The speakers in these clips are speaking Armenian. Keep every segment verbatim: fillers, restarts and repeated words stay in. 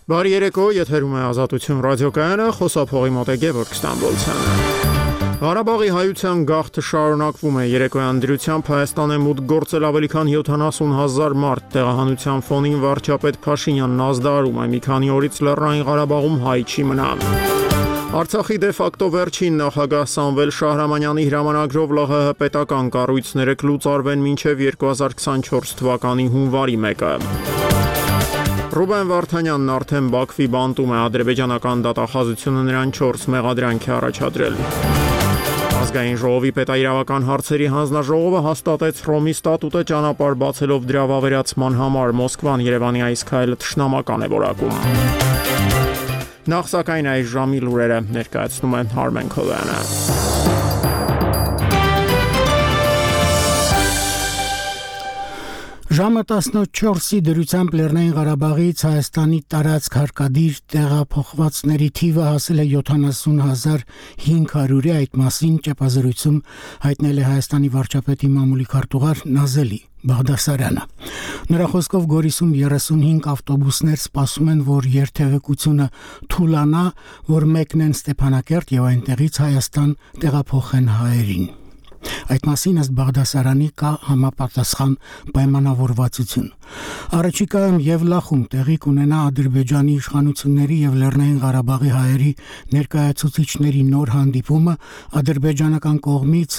Բարի երեկո, եթերում է Ազատություն ռադիոկայանը, խոսափողի մոտ է Գևորգ Ստամբոլցյանը։ Ղարաբաղի հայության գաղթը շարունակվում է։ Երեկոյան դրությամբ Հայաստան է մուտք գործել ավելի քան յոթանասուն հազար մարդ։ Տեղահանության ֆոնին վարչապետ Փաշինյանն ազդարարում է՝ մի քանի օրից Լեռնային Ղարաբաղում հայ չի մնա։ Արցախի դե ֆակտո վերջին նախագահ Սամվել Շահրամանյանի հրամանագրով ԼՂՀ պետական կառույցները կլուծարվեն մինչև երկու հազար քսանչորս թվականի հունվարի մեկը։ Ռուբեն Վարդանյանն արդեն Բաքվի բանտում է, ադրբեջանական դատախազությունը նրան չորս մեղադրանք է առաջադրել։ Ազգային ժողովի պետաիրավական հարցերի հանձնաժողովը հաստատեց Հռոմի ստատուտը ճանապարհ բացելով դրա վավերացման համար։ Մոսկվան Երևանի այս քայլը թշնամական է որակում։ Նախ սակայն այս ժամի լուրերը ներկայացնում է Արմեն Քովյանը։ Ժամը տասնչորսի դրությամբ Լեռնային Ղարաբաղից Հայաստանի տարածք հարկադիր տեղափոխվածների թիվը հասել է յոթանասուն հազար հինգ հարյուրի, այդ մասին ճեպազրույցում հայտնել է Հայաստանի վարչապետի մամուլի քարտուղար Նազելի Բաղդասարյանը։ Նրա խոսքով Գորիսում երեսունհինգ ավտոբուսներ սպասում են, որ երթևեկությունը թուլանա, որ մեկնեն Ստեփանակերտ եւ այնտեղից Հայաստան տեղափոխեն հայերին։ Այդ մասին ըստ Բաղդասարյանի կա համապատասխան պայմանավորվածություն։ Առաջիկայում Եվլախում տեղի կունենա Ադրբեջանի իշխանությունների եւ Լեռնային Ղարաբաղի հայերի ներկայացուցիչների նոր հանդիպումը, ադրբեջանական կողմից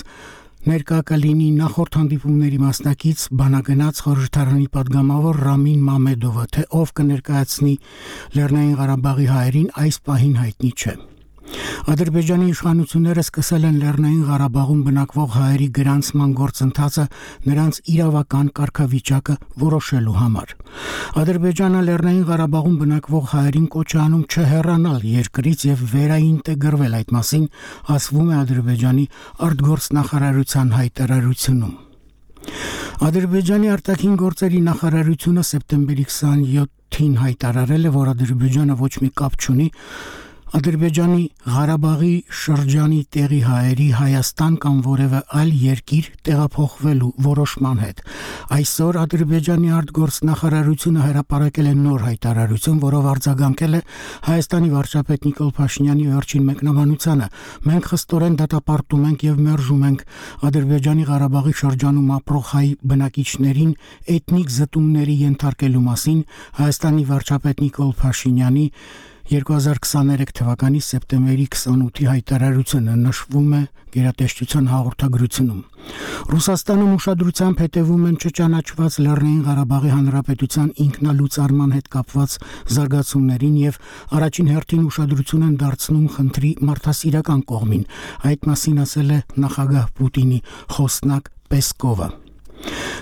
ներկա կլինի նախորդ հանդիպումների մասնակից բանագնաց խորհրդարանի падգամավոր Ռամին Մամեդովը, թե ով կներկայացնի Լեռնային Ղարաբաղի հայերին այս պահին հայտնի չէ։ Ադրբեջանի իշխանությունները սկսել են Լեռնային Ղարաբաղում բնակվող հայերի գրանցման գործընթացը նրանց իրավական կարգավիճակը որոշելու համար։ Ադրբեջանը Լեռնային Ղարաբաղում բնակվող հայերին կոչ է անում չհեռանալ երկրից եւ վերաինտեգրվել, այդ մասին ասվում է Ադրբեջանի արտգործնախարարության հայտարարությունում։ Ադրբեջանի արտաքին գործերի նախարարությունը սեպտեմբերի քսանյոթին հայտարարել է, որ Ադրբեջանը ոչ մի կապ չունի Ադրբեջանի Ղարաբաղի շրջանի տեղի հայերի Հայաստան կամ որևէ այլ երկիր տեղափոխվելու որոշման հետ։ Այսօր Ադրբեջանի արտգործնախարարությունը հրապարակել է նոր հայտարարություն, որով արձագանքել է Հայաստանի վարչապետ Նիկոլ Փաշինյանի վերջին մեկնաբանությանը։ Մենք խստորեն դատապարտում ենք եւ մերժում ենք Ադրբեջանի Ղարաբաղի շրջանում ապրող հայ բնակիչներին էթնիկ զտումների ենթարկելու մասին Հայաստանի վարչապետ Նիկոլ Փաշինյանի երկու հազար քսաներեք թվականի սեպտեմբերի քսանութի հայտարարությունը, նշվում է գերատեսչության հաղորդագրությունում։ Ռուսաստանում ուշադրությամբ հետևում են չճանաչված Լեռնային Ղարաբաղի Հանրապետության ինքնալուծարման հետ կապված զարգացումներին եւ առաջին հերթին ուշադրություն են դարձնում խնդրի մարդասիրական կողմին։ Այդ մասին ասել է նախագահ Պուտինի խոսնակ Պեսկովը։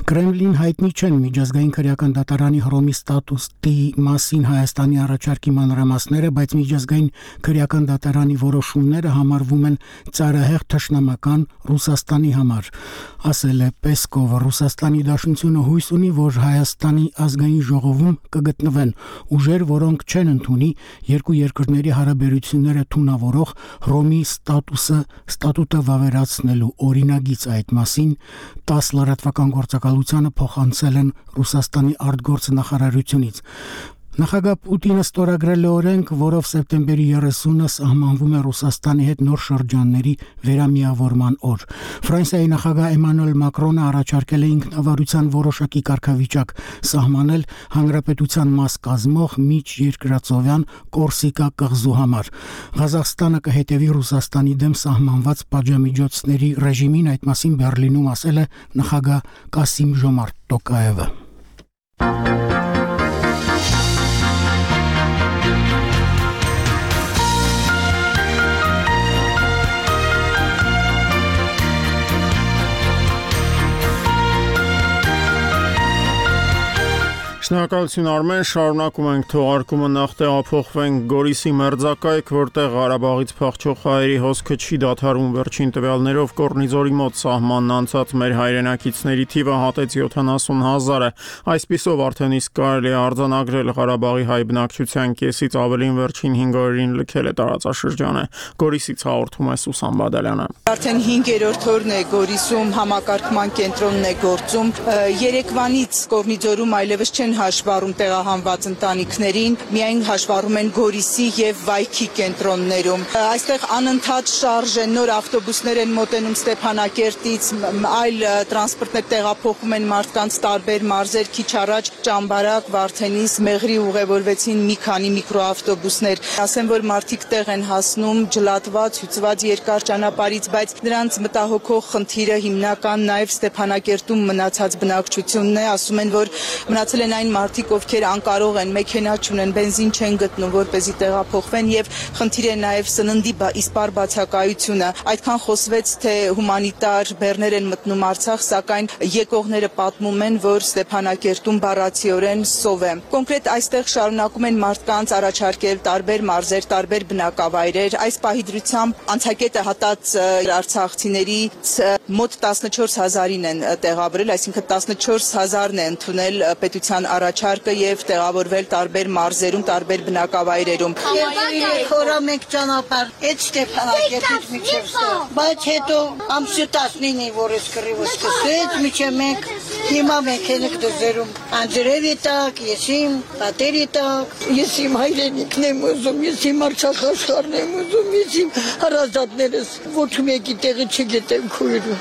Կրեմլին հայտնի չեն միջազգային քրեական դատարանի Հռոմի ստատուտի մասին Հայաստանի առաջարկի մանրամասները, բայց միջազգային քրեական դատարանի որոշումները համարվում են ծայրահեղ թշնամական Ռուսաստանի համար, ասել է Պեսկովը։ Ռուսաստանի Դաշնությունը հույս ունի, որ Հայաստանի ազգային ժողովում կգտնվեն ուժեր, որոնք չեն ընդունի երկու երկրների հարաբերությունները թունավորող Հռոմի ստատուսը ստատուտը վավերացնելու օրինագիծ։ Այդ մասին տասը լրատվական գործակալությանը փոխանցել են Ռուսաստանի արտգործնախարարությունից։ Նախագահ Պուտինը ստորագրել է օրենք, որով սեպտեմբերի երեսունը սահմանվում է Ռուսաստանի հետ նոր շրջանների վերամիավորման օր։ Ֆրանսիայի նախագահ Էմանուել Մակրոնը առաջարկել է ինքնավարության որոշակի կարգավիճակ սահմանել հանրապետության մաս կազմող միջերկրածովյան Կորսիկա կղզու համար։ Ղազախստանը կհետևի Ռուսաստանի դեմ սահմանված պատժամիջոցների ռեժիմին, այդ մասին Բեռլինում ասել է նախագահ Կասիմ Ժոմարտ Տոկաևը։ Շնորհակալություն Արմեն, շարունակում ենք թողարկումը, նախ տեղափոխվենք Գորիսի մերձակայք, որտեղ Ղարաբաղից փախչող հայերի հոսքը չի դադարում։ Վերջին տվյալներով Կորնիձորի մոտ սահմանն անցած մեր հայրենակիցների թիվը հատեց յոթանասուն հազարը։ Այսպիսով արդեն իսկ կարելի է արձանագրել Ղարաբաղի հայ բնակչության կեսից ավելին վերջին հինգ օրերին լքել է տարածաշրջանը։ Գորիսից հաղորդում է Սուսան Բադալյանը։ Արդեն հինգերորդ օրն է Գորիսում համակարգման կենտրոնն է գործում։ Երեկվանից Կորնիձորում այլևս չեն հաշ հաշվառում տեղահանված ընտանիքներին, միայն հաշվառում են Գորիսի եւ Վայքի կենտրոններում։ Այստեղ անընդհատ շարժ են, նոր ավտոբուսներ են մոտենում Ստեփանակերտից, այլ տրանսպորտներ տեղափոխում են մարդկանց տարբեր մարզեր, քիչ առաջ Ճամբարակ, Վարդենիս, Մեղրի ուղևորվեցին մի քանի միկրոավտոբուսներ։ Ասեմ, որ մարդիկ տեղ են հասնում ջլատված, հյուծված երկար ճանապարհից, բայց նրանց մտահոգող խնդիրը հիմնական նաև Ստեփանակերտում մնացած բնակչությունն է, ասում են, որ մնացել են այն մարդիկ, ովքեր անկարող են, մեքենա չունեն, բենզին չեն գտնում, որպեսզի տեղափոխվեն եւ խնդիր է նաև սննդի իսպառ բացակայությունը։ Այդքան խոսվեց, թե հումանիտար բեռներ են մտնում Արցախ, սակայն եկողները պատմում են, որ Ստեփանակերտում բառացիորեն սով է։ Կոնկրետ այստեղ շարունակում են մարդկանց առաջարկել տարբեր մարզեր, տարբեր բնակավայրեր։ Այս պահի դրությամբ անցակետը հատած արցախցիներից մոտ տասնչորս հազարին են տեղավորել, այսինքն տասնչորս հազարն է ընդունել պետության առաջարկը եւ տեղավորվել տարբեր մարզերում, տարբեր բնակավայրերում։ Խորա մենք ճանապարհ այդ Ստեփանակերտից միջև ստեղ, բայց հետո ամսի տասնինը որ էս կռիվը սկսեց, միջև մենք հիմա մենք ենք դժերում անջրևի տակ, ես իմ պատերի տակ, ես իմ հայրենիքն եմ ուզում, ես իմ արցախաշխարհն եմ ուզում, ես իմ հարազատներս ոչ մեկի տեղը չգիտեմ քույրը,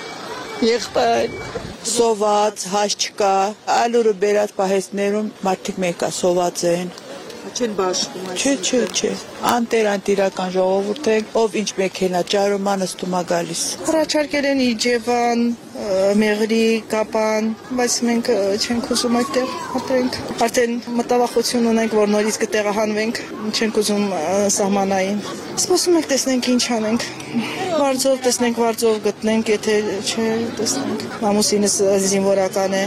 եղբայր։ Սոված, հաշ չկա, ալուրը բերած պահեստներում մարդիկ մեկա սոված են։ Չեն բաշխում այս։ Չէ, չէ, չէ։ Անտեր անտիրական ժողովուրդ է, ով ինչ մեքենա ճարում անստում է գալիս։ Առաջարկել են Իջևան, Մեղրի, Կապան, բայց մենք չենք ուզում այդտեղ ապրենք։ Արդեն մտավախություն ունենք, որ նորից կտեղահանվենք, չենք ուզում սահմանային։ Սպասում ենք տեսնենք ինչ անենք։ Վարձով տեսնենք, վարձով գտնենք, եթե չէ, տեսնենք։ Մամուսինս զինվորական է։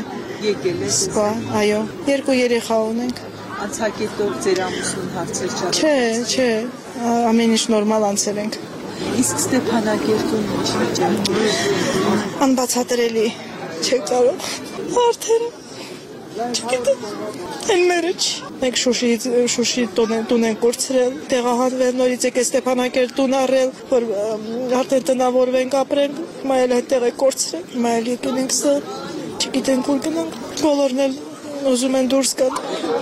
Եկել է։ Սպա, այո, երկու երեխա ունենք։ Անցակետով ձեր ամուսնուն հարցեր չա։ Չէ, չէ, ամեն ինչ նորմալ անցել ենք։ Իսկ Ստեփանակերտում ինչ վիճակ։ Անբացատրելի չէ կարող։ Արդեն չգիտեմ։ Այն մերը չի։ Մենք Շուշիից Շուշի տուն են կորցրել, տեղահանվել, նորից եկել Ստեփանակերտ տուն առել, որ արդեն տնավորվենք ապրել, հիմա էլ այդտեղ է կորցրել, հիմա էլ եկել ենք սա, չգիտենք ուր գնանք։ Բոլորն էլ ուզում են դուրս գալ։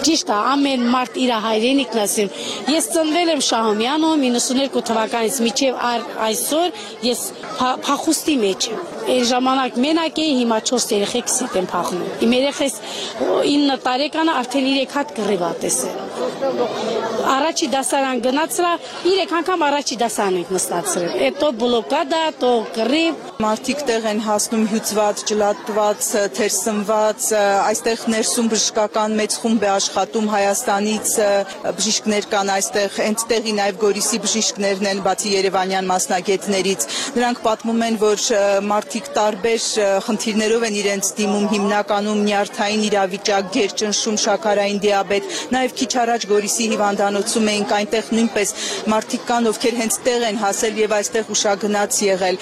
Ճիշտ է, ամեն մարդ իր հայրենիքն ասեմ։ Ես ծնվել եմ Շահումյանում իննսուներկու թվականից մինչև այսօր ես փախուստի մեջ եմ։ Այն ժամանակ մենակ էի, հիմա չորս երեխեքս հետ եմ փախնում։ Իմ երեխես ինը տարեկանը արդեն երեք հատ կռիվ ա տեսել։ Առաջի դասարան գնացրա, երեք անգամ առաջի դասարան ենք նստացրել։ Հետո բլոկադա, то կռիվ։ Մարդիկ տեղ են հասնում հյուծված, ջլատված, թերսնված, այստեղ ներսում բժշկական մեծ խումբ է աշխատում Հայաստանից բժիշկներ կան այստեղ, հենց տեղի նաև Գորիսի բժիշկներն են, բացի երևանյան մասնագետներից։ Նրանք պատմում են, որ մարդիկ տարբեր խնդիրներով են իրենց դիմում, հիմնականում նյարդային իրավիճակ, գերճնշում, շաքարային դիաբետ, նաև քիչ առաջ Գորիսի հիվանդանոցում էինք, այնտեղ նույնպես մարդիկ կան, ովքեր հենց տեղ են հասել եւ այստեղ ուշագնաց եղել։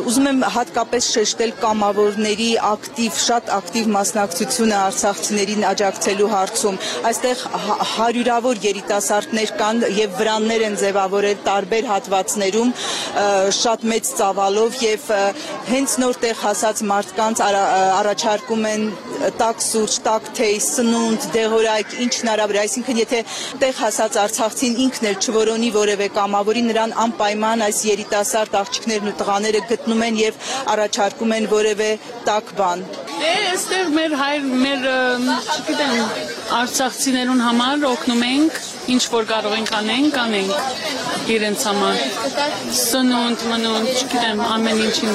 Ուզում եմ հատկապես շեշտել կամավորների ակտիվ, շատ ակտիվ մասնակցությունը արցախցիներին աջակցելու հարցում։ Այստեղ հարյուրավոր երիտասարդներ կան եւ վրաններ են ձևավորել տարբեր հատվածներում, շատ մեծ ծավալով եւ հենց նոր տեղ հասած մարդկանց առաջարկում են տաք սուրճ, տաք թեյ, սնունդ, դեղորայք, ինչ հնարավոր է, այսինքն եթե տեղ հասած արցախցին ինքն էլ չորոնի որևէ կամավորի, նրան անպայման այս երիտասարդ աղջիկներն ու տղաները գտնում են եւ առաջարկում են որևէ տաք բան։ Այստեղ մեր հայր, մեր, չգիտեմ, արցախցիներուն համար օգնում ենք, ինչ որ կարող ենք անենք, անենք իրենց համար։ Սնունդ, մնունդ, չգիտեմ, ամեն ինչին։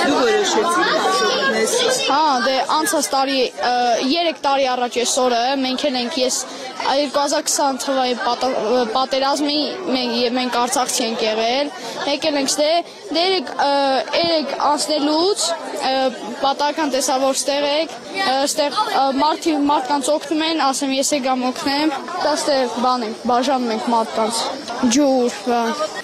Դու որոշեցի։ Հա, դե անցած տարի երեք տարի առաջ այսօրը մենք ենք ես երկու հազար քսան թվականի պատերազմի մենք Արցախցի ենք եղել, եկել ենք ստե, դե երեք անցնելուց պատահական տեսա որ ստեղ եք, ստեղ մարդի մարդկանց օգնում են, ասեմ ես եկամ օգնեմ, դա ստեղ բան ենք, բաժանում ենք մարդկանց ջուր, բան։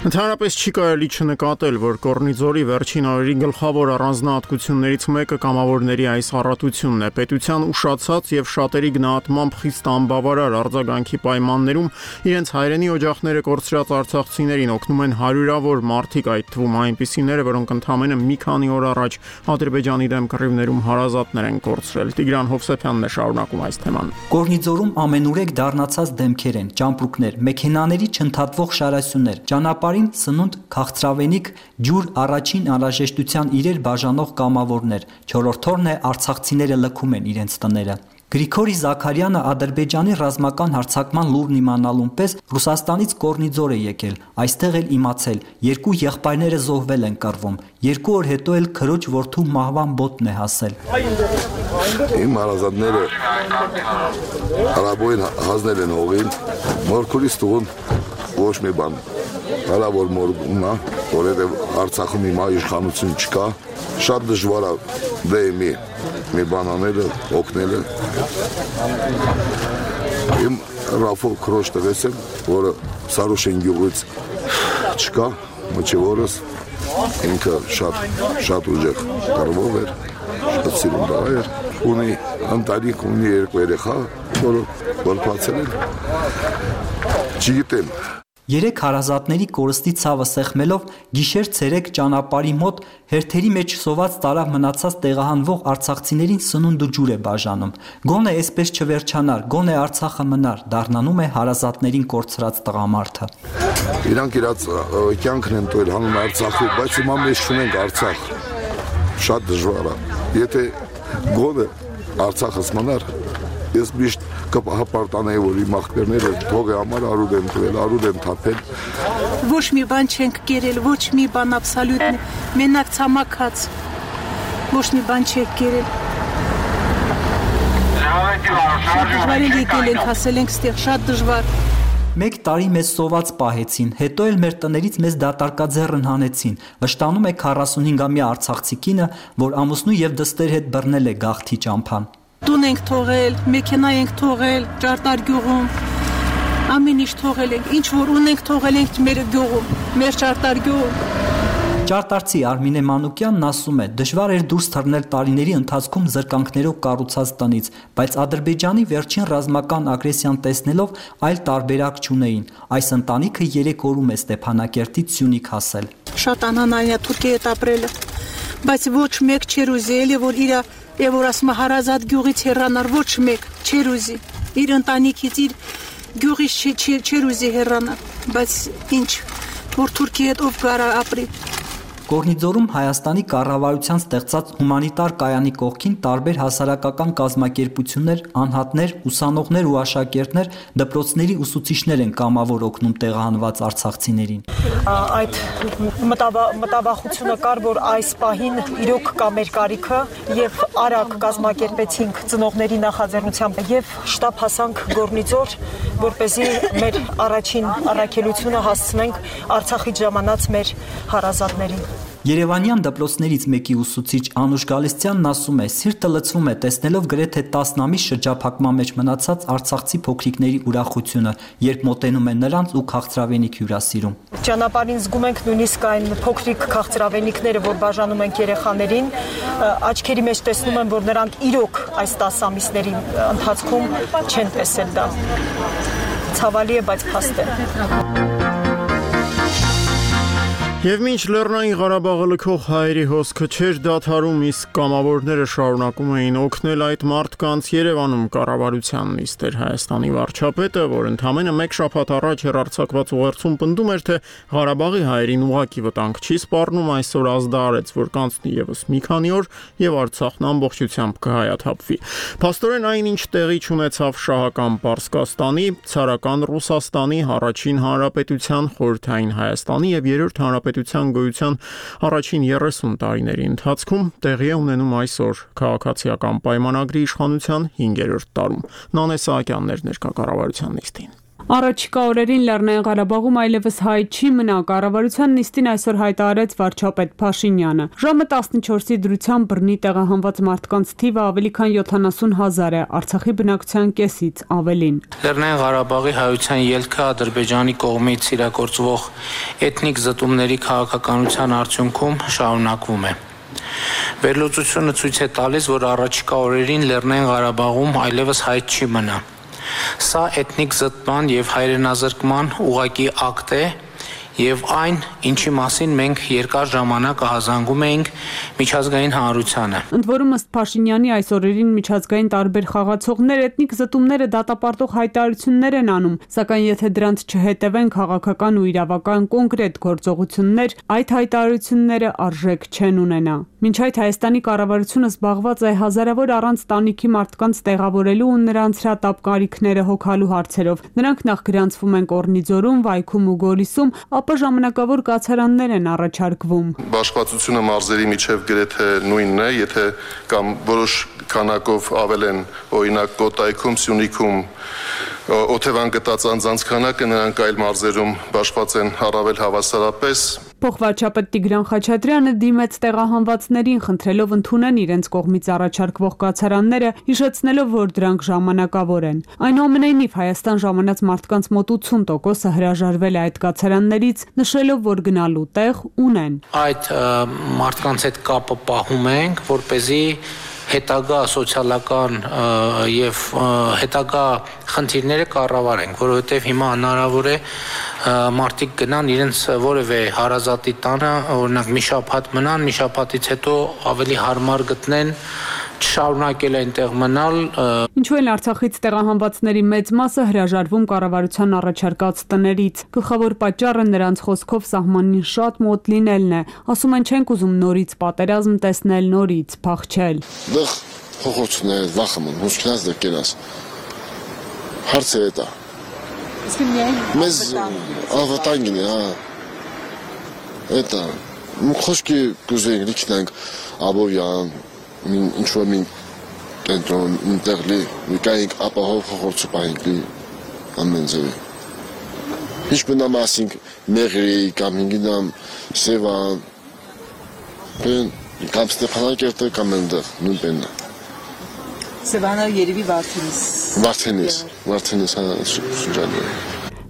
Ընդհանրապես չի կարելի չնկատել, որ Կորնիձորի վերջին օրերի գլխավոր առանձնահատկություններից մեկը կամավորների այս առատությունն է։ Պետության ուշացած եւ շատերի գնահատմամբ խիստ անբավարար արձագանքի պայմաններում իրենց հայրենի օջախները կորցրած արցախցիներին օգնում են հարյուրավոր մարդիկ, այդ թվում այնպիսիները, որոնք ընդամենը մի քանի օր առաջ Ադրբեջանի դեմ կռիվներում հարազատներ են կորցրել։ Տիգրան Հովսեփյանն է շարունակում այս թեման։ Կորնիձորում ամենուրեք դառնացած դեմքեր են, ճամպրուկներ, մեքենաների չընդհատվող շարասյուններ, ճանապարհին սնունդ, քաղցրավենիք, ջուր, առաջին անհրաժեշտության իրեր բաժանող կամավորներ, չորրորդ օրն է արցախցիները լքում են իրենց տները։ Գրիգորի Զաքարյանը Ադրբեջանի ռազմական հարձակման լուրն իմանալուն պես Ռուսաստանից Կորնիձոր է եկել, այստեղ էլ իմացել, երկու եղբայրները զոհվել են կռվում, երկու օր հետո էլ քրոջ որդու մահվան բոտն է հասել։ Իմ հարազատները հարաբոյին հանձնել են հողին, մորքուրից տուղուն ոչ մի բան, հալա որ մորգումն է, որովհետև Արցախում հիմա իշխանություն չկա, շատ դժվար է դե մի մի բան անելը, օգնելը։ Իմ Ռաֆո քրոջ տվեց եմ, որը Սարուշեն գյուղից չկա, մոչևորս, ինքը շատ շատ ուժեղ կռվող էր, շատ սիրուն տղա էր, ունի ընտանիք, ունի երկու երեխա, որը որպացել են, չգիտեմ։ Երեք հարազատների կորստի ցավը սեղմելով գիշեր ցերեկ ճանապարհի մոտ հերթերի մեջ սոված տարավ մնացած տեղահանվող արցախցիներին սնունդ ու ջուր է բաժանում։ Գոնե այսպես չվերջանար, գոնե Արցախը մնար, դառնանում է հարազատներին կորցրած տղամարդը։ Իրանք իրաց կյանքն են տվել հանուն Արցախի, բայց հիմա մեզ չունենք Արցախ։ Շատ դժվար է։ Եթե գոնե Արցախս մնար, ես միշտ կհապարտանեի, որ իմ աղբերները թողի համար արուդ են տվել, արուդ են թափել։ Ոչ մի բան չենք կերել, ոչ մի բան աբսոլյուտ, մենակ ցամաքած, ոչ մի բան չենք կերել։ Դժվար է եկել ենք, հասել ենք ստեղ, շատ դժվար։ Մեկ տարի մեզ սոված պահեցին, հետո էլ մեր տներից մեզ դատարկաձեռն հանեցին, վշտանում է քառասունհինգամյա արցախցի կինը, որ ամուսնու եւ դստեր հետ բռնել է գաղթի ճամփան։ Տուն ենք թողել, մեքենա ենք թողել, ճարտար գյուղում, ամեն ինչ թողել ենք, ինչ որ ունենք թողել ենք մեր գյուղում, մեր ճարտար գյուղում։ Ճարտարցի Արմինե Մանուկյանն ասում է, դժվար էր դուրս թռնել տարիների ընթացքում զրկանքներով կառուցած տնից, բայց Ադրբեջանի վերջին ռազմական ագրեսիան տեսնելով այլ տարբերակ չունեին։ Այս ընտանիքը երեք օրում է Ստեփանակերտից Սյունիք հասել։ Շատ անհանրային է Թուրքիայի հետ ապրելը, բայց ոչ մեկ չեր ուզի, էլի որ իր եւ որ ասում հարազատ գյուղից հեռանար, ոչ մեկ չեր ուզի։ Իր ընտանիքից, իր գյուղից չեր ուզի հեռանալ, բայց ինչ, որ Թուրքիայի հետ ով գարա ապրի։ Կորնիձորում Հայաստանի կառավարության ստեղծած հումանիտար կայանի կողքին տարբեր հասարակական կազմակերպություններ, անհատներ, ուսանողներ ու աշակերտներ, դպրոցների ուսուցիչներ են կամավոր օգնում տեղահանված արցախցիներին։ Այդ մտավախությունը կար, որ այս պահին իրոք կա մեր կարիքը եւ արագ կազմակերպեցինք ծնողների նախաձեռնությամբ եւ շտաբ հասանք Կորնիձոր, որպեսզի մեր առաջին առաքելությունը հասցնենք Արցախից ժամանած մեր հարազատներին։ Երևանյան դպրոցներից մեկի ուսուցիչ Անուշ Գալստյանն ասում է, սիրտը լցվում է տեսնելով գրեթե տասն ամիս շրջափակման մեջ մնացած արցախցի փոքրիկների ուրախությունը, երբ մոտենում են նրանց ու քաղցրավենիք հյուրասիրում։ Ճանապարհին զգում ենք նույնիսկ այն փոքրիկ քաղցրավենիքները, որ բաժանում ենք երեխաներին, աչքերի մեջ տեսնում եմ, որ նրանք իրոք այս տասը ամիսների ընթացքում չեն տեսել դա։ Ցավալի է, բայց փաստ է։ Եվ մինչ Լեռնային Ղարաբաղը լքող հայերի հոսքը չէր դադարում, իսկ կամավորները շարունակում էին օգնել այդ մարդկանց, Երևանում կառավարության նիստեր Հայաստանի վարչապետը, որ ընդամենը մեկ շաբաթ առաջ հեռարձակված ուղերձում պնդում էր, թե Ղարաբաղի հայերին ուղղակի վտանգ չի սպառնում, այսօր ազդարարեց, որ կանցնի ևս մի քանի օր եւ Արցախն ամբողջությամբ կհայաթափվի։ Փաստորեն այնինչ տեղի չունեցավ շահական Պարսկաստանի, ցարական Ռուսաստանի, առաջին հանրապետության, խորհրդային Հայաստանի եւ երրորդ հանրապետության գոյության առաջին երեսուն տարիների ընթացքում տեղի է ունենում այսօր քաղաքացիական պայմանագրի իշխանության հինգերորդ տարում։ Նանե Սահակյանն էր ներկա կառավարության նիստին։ Առաջիկա օրերին Լեռնային Ղարաբաղում այլևս հայ չի մնա, կառավարության նիստին այսօր հայտարարեց վարչապետ Փաշինյանը։ Ժամը տասնչորսի դրությամբ բռնի տեղահանված մարդկանց թիվը ավելի քան յոթանասուն հազար է, Արցախի բնակչության կեսից ավելին։ Լեռնային Ղարաբաղի հայության ելքը Ադրբեջանի կողմից իրագործվող էթնիկ զտումների քաղաքականության արդյունքում շարունակվում է։ Վերլուծությունը ցույց է տալիս, որ առաջիկա օրերին Լեռնային Ղարաբաղում այլևս հայ չի մնա։ Սա էթնիկ զտման եւ հայրենազրկման ուղղակի ակտ է եւ այն, ինչի մասին մենք երկար ժամանակ ահազանգում էինք միջազգային հանրությանը։ Ընդ որում ըստ Փաշինյանի այս օրերին միջազգային տարբեր խաղացողներ էթնիկ զտումները դատապարտող հայտարարություններ են անում, սակայն եթե դրանց չհետևեն քաղաքական ու իրավական կոնկրետ գործողություններ, այդ հայտարարությունները արժեք չեն ունենա։ Մինչ այդ Հայաստանի կառավարությունը զբաղված է հազարավոր առանց տանիքի մարդկանց տեղավորելու ու նրանց հրատապ կարիքները հոգալու հարցերով։ Նրանք նախ գրանցվում են Կորնիձորում, Վայքում ու Գորիսում, ապա ժամանակավոր կացարաններ են առաջարկվում։ Բաշխվածությունը մարզերի միջև գրեթե նույնն է, եթե կամ որոշ քանակով ավել են օրինակ Կոտայքում, Սյունիքում օթևան գտած անձանց քանակը, նրանք այլ մարզերում բաշխված են առավել հավասարապես։ Փոխվարչապետ Տիգրան Խաչատրյանը դիմեց տեղահանվածներին, խնդրելով ընդունեն իրենց կողմից առաջարկվող կացարանները, հիշեցնելով, որ դրանք ժամանակավոր են։ Այնուամենայնիվ Հայաստան ժամանած մարդկանց մոտ ութսուն տոկոսը հրաժարվել է այդ կացարաններից, նշելով, որ գնալու տեղ ունեն։ Այդ մարդկանց հետ կապը պահում ենք, որպեսզի հետագա սոցիալական եւ հետագա խնդիրները կառավարենք, որովհետեւ հիմա հնարավոր է մարդիկ գնան իրենց որևէ հարազատի տանը, օրինակ մի շաբաթ մնան, մի շաբաթից հետո ավելի հարմար գտնեն չշարունակել այնտեղ մնալ։ Ինչու են Արցախից տեղահանվածների մեծ մասը հրաժարվում կառավարության առաջարկած տներից։ Գլխավոր պատճառը նրանց խոսքով սահմանին շատ մոտ լինելն է։ Ասում են չենք ուզում նորից պատերազմ տեսնել, նորից փախչել։ Դեռ փոխություններ վախում, հուսքնած դեռ կենաս։ Հարցը է դա։ Իսկ միայն մեզ ավտանգին է, հա։ Էտա խոսքի կուզենք լիքնանք Աբովյան ինչ որ մին կենտրոն ինտերլի մի կայինք ապահով խորցու պահինքլի ամեն ձևի։ Ինչ բնամասինք մեղրի կամ ինգինամ սևան կամ Ստեփանակերտը կամ ընդեղ նույն բեննա։ Սևանը երևի Վարդենիս։ Վարդենիս, Վարդենիս հա շրջանի։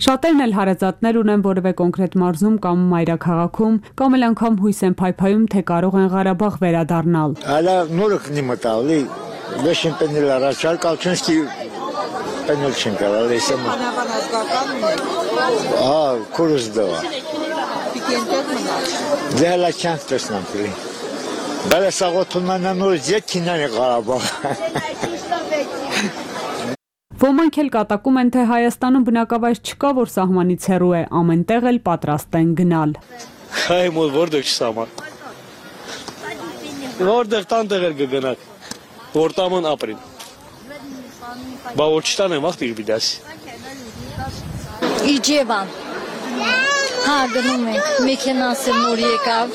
Շատերն էլ հարազատներ ունեն որևէ կոնկրետ մարզում կամ մայրաքաղաքում, կամ էլ անգամ հույս են փայփայում, թե կարող են Ղարաբաղ վերադառնալ։ Ալա նորք նիմտալի, վեշին պենել առաջար կալչնստի պենել չեն կարալ, էսեմ։ Ահա, կորուս դվա։ Պիկենտեղ մնալ։ Դե հալա չանք տեսնանք լի։ Բալա սաղոթունանա նորից ետ կինան է Ղարաբաղ։ Ոմանք էլ կատակում են, թե Հայաստանում բնակավայր չկա, որ սահմանից հեռու է, ամենտեղ էլ պատրաստ են գնալ։ Հայ մոտ որտեղ չսահման։ Որտեղ տանտեղ էլ կգնաք, որ տաման ապրին։ Բա որ չտանեմ ախտիր բիդասի։ Իջևան։ Հա, գնում ենք, մեքենասը նոր եկավ։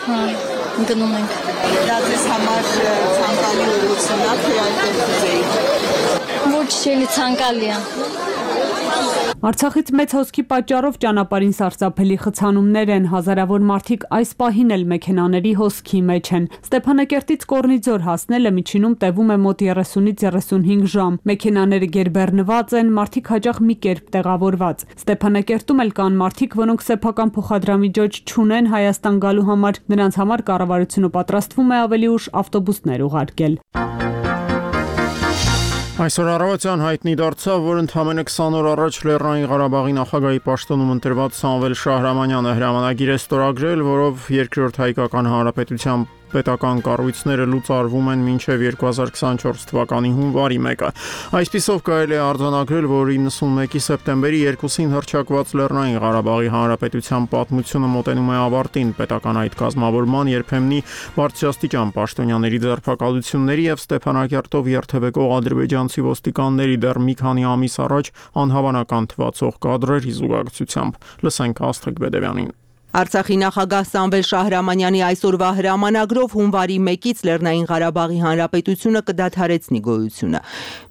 Հա, գնում ենք։ Դա ձեզ համար ցանկալի ուղղություն է, թե այդպես կուզեիք։ Ոչ չելի ցանկալի է։ Արցախից մեծ հոսքի պատճառով ճանապարհին սարսափելի խցանումներ են, հազարավոր մարդիկ այս պահին էլ մեքենաների հոսքի մեջ են։ Ստեփանակերտից Կորնիձոր հասնելը միջինում տևում է մոտ երեսունից երեսունհինգ ժամ։ Մեքենաները գերբեռնված են, մարդիկ հաճախ մի կերպ տեղավորված։ Ստեփանակերտում էլ կան մարդիկ, որոնք սեփական փոխադրամիջոց չունեն Հայաստան գալու համար, նրանց համար կառավարությունը պատրաստվում է ավելի ուշ ավտոբուսներ ուղարկել։ Այսօր առավոտյան հայտնի դարձավ, որ ընդամենը քսան օր առաջ Լեռնային Ղարաբաղի նախագահի պաշտոնում ընտրված Սամվել Շահրամանյանը հրամանագիր է ստորագրել, որով երկրորդ հայկական հանրապետության պետական կառույցները լուծարվում են մինչև երկու հազար քսանչորս թվականի հունվարի մեկը։ Այսպիսով կարելի է արձանագրել, որ իննսունմեկի սեպտեմբերի երկուսին հռչակված Լեռնային Ղարաբաղի հանրապետության պատմությունը մոտենում է ավարտին, պետական այդ կազմավորման երբեմնի բարձրաստիճան պաշտոնյաների ձերբակալությունների եւ Ստեփանակերտով երթևեկող ադրբեջանցի ոստիկանների դեռ մի քանի ամիս առաջ անհավանական թվացող կադրերի զուգակցությամբ։ Լսենք Աստղիկ Բեդևյանին։ Արցախի նախագահ Սամվել Շահրամանյանի այսօրվա հրամանագրով հունվարի մեկից Լեռնային Ղարաբաղի Հանրապետությունը կդադարեցնի գոյությունը։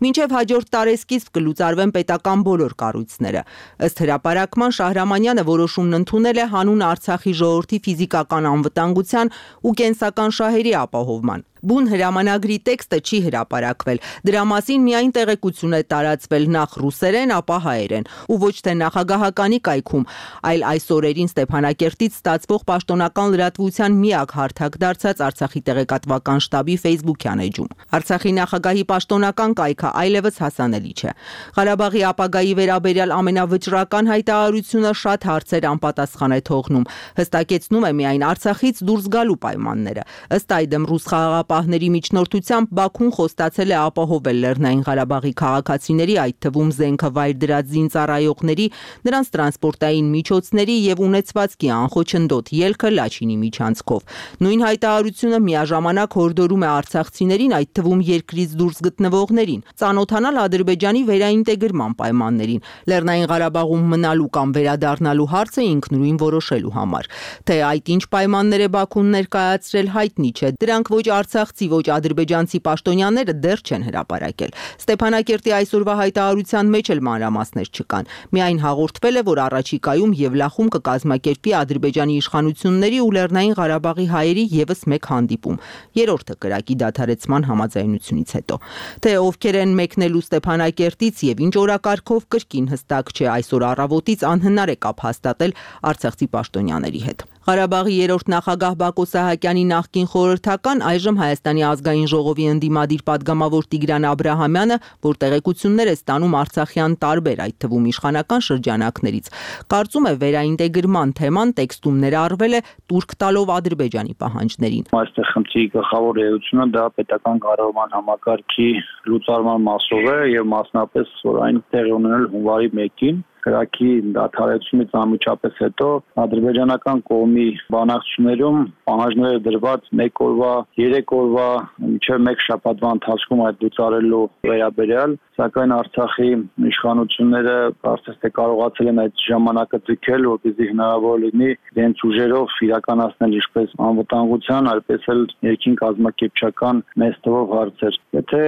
Մինչև հաջորդ տարեսկիզբ կլուծարվեն պետական բոլոր կառույցները։ Ըստ հրապարակման Շահրամանյանը որոշումն ընդունել է հանուն Արցախի ժողովրդի ֆիզիկական անվտանգության ու կենսական շահերի ապահովման։ Բուն հրամանագրի տեքստը չի հրապարակվել։ Դրա մասին միայն տեղեկություն է տարածվել նախ ռուսերեն, ապա հայերեն, ու ոչ թե նախագահականի կայքում, այլ այս օրերին Ստեփանակերտից ստացվող պաշտոնական լրատվության միակ հարթակ դարձած Արցախի տեղեկատվական շտաբի Facebook-յան էջում։ Արցախի նախագահի պաշտոնական կայքը այլևս հասանելի չէ։ Ղարաբաղի ապագայի վերաբերյալ ամենավճռական հայտարարությունը շատ հարցեր անպատասխան է թողնում, հստակեցնում է միայն Արցախից դուրս գալու պայմանները։ Ըստ այդմ ռուս խաղաղապահների միջնորդությամբ Բաքուն խոստացել է ապահովել Լեռնային Ղարաբաղի քաղաքացիների, այդ թվում զենքը վայր դրած զինծառայողների, նրանց տրանսպորտային միջոցների եւ ունեցվածքի անխոչնդոտ ելքը Լաչինի միջանցքով։ Նույն հայտարարությունը միաժամանակ հորդորում է արցախցիներին, այդ թվում երկրից դուրս գտնվողներին, ծանոթանալ Ադրբեջանի վերաինտեգրման պայմաններին, Լեռնային Ղարաբաղում մնալու կամ վերադառնալու հարցը ինքնուրույն որոշելու համար։ Թե այդ ինչ պայմաններ է Բաքուն ներկայացրել, հայտնի չէ։ Դրանք ոչ արցախցի, ոչ ադրբեջանցի պաշտոնյաները դեռ չեն հրապարակել։ Ստեփանակերտի այսօրվա հայտարարության մեջ էլ մանրամասներ չկան։ Միայն հաղորդվել է, որ առաջիկայում Եվլախում կկազմակերպի Ադրբեջանի իշխանությունների ու Լեռնային Ղարաբաղի հայերի եւս մեկ հանդիպում, երրորդը կրակի դադարեցման համաձայնությունից հետո։ Թե ովքեր են մեկնելու Ստեփանակերտից եւ ինչ օրակարգով կրկին հստակ չէ, այսօր առավոտից անհնար է կապ հաստատել արցախցի պաշտոնյաների հետ։ Ղարաբաղի երրորդ նախագահ Բակո Սահակյանի նախկին խորհրդական, այժմ Հայաստանի ազգային ժողովի ընդդիմադիր падգամավոր Տիգրան Աբրահամյանը, որ տեղեկություններ է ստանում արցախյան տարբեր, այդ թվում իշխանական շրջանակներից, կարծում է վերաինտեգրման թեման տեքստում ներառվել է տուրք տալով Ադրբեջանի պահանջներին։ Այստեղ խնդրի գլխավոր էությունը դա պետական կառավարման համակարգի լուծարման մասով է եւ մասնապես որ այն տեղի ունենել հունվարի մեկին կրակի դադարեցումից անմիջապես հետո ադրբեջանական կողմի բանակցություններում պահանջները դրված մեկ օրվա, երեք օրվա, մինչև մեկ շաբաթվա ընթացքում այդ լուծարելու վերաբերյալ, սակայն Արցախի իշխանությունները կարծես թե կարողացել են այդ ժամանակը ձգել, որպեսզի հնարավոր լինի իրենց ուժերով իրականացնել ինչպես անվտանգության, այնպես էլ ներքին կազմակերպչական մեծ թվով հարցեր։ Եթե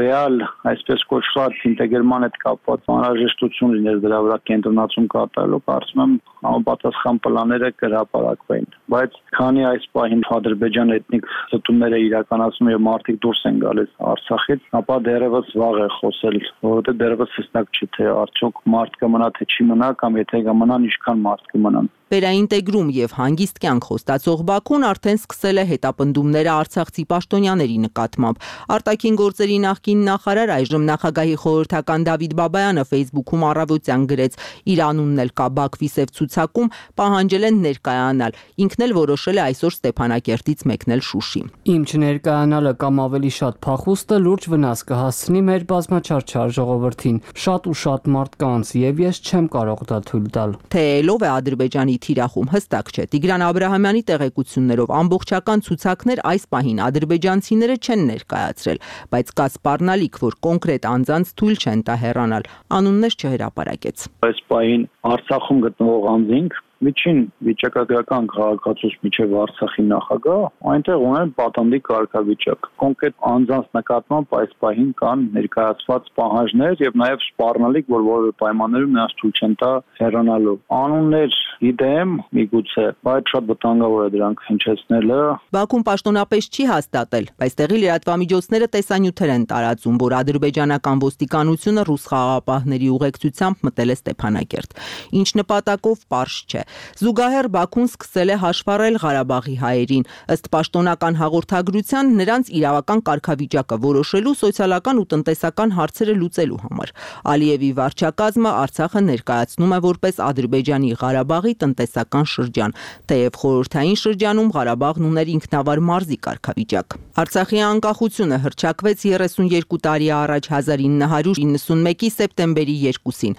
ռեալ, այսպես կոչված ինտեգրման հետ կապված անհրաժեշտություն լիներ դրա վրա կենտրոնացում կատարելու, կարծում եմ համապատասխան պլանները կհրապարակվեն։ Բայց քանի այս պահին Ադրբեջան էթնիկ զտումները իրականացնում եւ մարդիկ դուրս են գալիս Արցախից, ապա դեռևս վաղ է խոսել, որովհետեւ դեռևս հստակ չի թե արդյոք մարդ կմնա թե չի մնա կամ եթե կմնան ինչքան մարդ կմնան։ Վերաինտեգրում եւ հանգիստ կյանք խոստացող Բաքուն արդեն սկսել է հետապնդումները արցախցի պաշտոնյաների նկատմամբ։ Արտաքին գործերի նախկին նախարար, այժմ նախագահի խորհրդական Դավիթ Բաբայանը Facebook-ում առավոտյան գրեց. իր անունն էլ կա Բաքվի սև ցուցակում, պահանջել են ներկայանալ։ Ինքն էլ որոշել է այսօր Ստեփանակերտից մեկնել Շուշի։ Իմ չներկայանալը կամ ավելի շատ փախուստը լուրջ վնաս կհասցնի մեր բազմաչարչար ժողովրդին, շատ ու շատ մարդկանց, եւ ես չեմ կարող դա թույլ տալ։ Թե ելով է Ադրբեջանի թիրախում հստակ չէ։ Տիգրան Աբրահամյանի տեղեկություններով ամբողջական ցուցակներ այս պահին ադրբեջանցիները չեն ներկայացրել, բայց կա սպառնալիք, որ կոնկրետ անձանց թույլ չեն տա հեռանալ։ Անուններ չհրապարակեց։ Այս պահին Արցախում գտնվող անձինք միջին վիճակագրական քաղաքացուց միջև Արցախի նախագահ այնտեղ ունեն պատանդի կարգավիճակ։ Կոնկրետ անձանց նկատմամբ այս պահին կան ներկայացված պահանջներ եւ նաեւ սպառնալիք, որ որևէ պայմաններում նրանց թույլ չեն տա հեռանալու։ Անուններ գիտեմ, միգուցե, բայց շատ վտանգավոր է դրանք հնչեցնելը։ Բաքուն պաշտոնապես չի հաստատել, բայց տեղի լրատվամիջոցները տեսանյութեր են տարածում, որ ադրբեջանական ոստիկանությունը ռուս խաղաղապահների ուղեկցությամբ մտել է Ստեփանակերտ։ Ինչ նպատակով պարզ չէ։ Զուգահեռ Բաքուն սկսել է հաշվառել Ղարաբաղի հայերին, ըստ պաշտոնական հաղորդագրության նրանց իրավական կարգավիճակը որոշելու, սոցիալական ու տնտեսական հարցերը լուծելու համար։ Ալիևի վարչակազմը Արցախը ներկայացնում է որպես Ադրբեջանի Ղարաբաղի տնտեսական շրջան, թեև խորհրդային շրջանում Ղարաբաղն ուներ ինքնավար մարզի կարգավիճակ։ Արցախի անկախությունը հռչակվեց երեսունյոթ տարի առաջ հազար ինը հարյուր իննսունմեկի սեպտեմբերի երկուսին։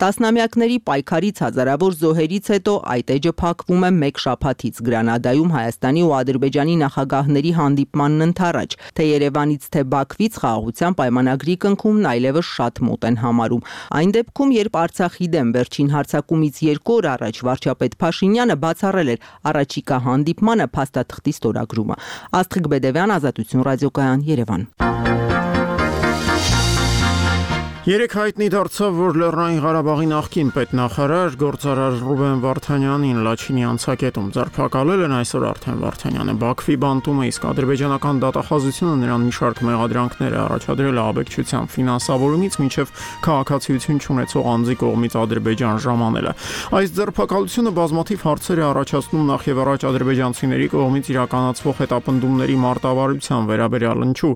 Տասնամյակների պայքարից, հազարավոր զոհերից հետո այդ էջը փակվում է մեկ շաբաթից Գրանադայում Հայաստանի ու Ադրբեջանի նախագահների հանդիպմանն ընդառաջ, թե Երևանից թե Բաքվից խաղաղության պայմանագրի կնքումն այլևս շատ մոտ են համարում։ Այն դեպքում, երբ Արցախի դեմ վերջին հարձակումից երկու օր առաջ վարչապետ Փաշինյանը բացառել էր առաջիկա հանդիպմանը փաստաթղթի ստորագրումը։ Աստղիկ Բեդևյան, Ազատություն ռադիոկայան, Երևան։ Երեք հայտնի դարձավ, որ Լեռնային Ղարաբաղի նախկին պետնախարար գործարար Ռուբեն Վարդանյանին Լաչինի անցակետում ձերբակալել են այսօր արդեն Վարդանյանը Բաքվի բանտում է, իսկ ադրբեջանական դատախազությունը նրան մի շարք մեղադրանքներ է առաջադրել ահաբեկչության ֆինանսավորումից մինչև քաղաքացիություն չունեցող անձի կողմից Ադրբեջան ժամանելը։ Այս ձերբակալությունը բազմաթիվ հարցեր է առաջացնում նախ եւ առաջ ադրբեջանցիների կողմից իրականացվող հետապնդումների մարտավարության վերաբերյալ, ինչու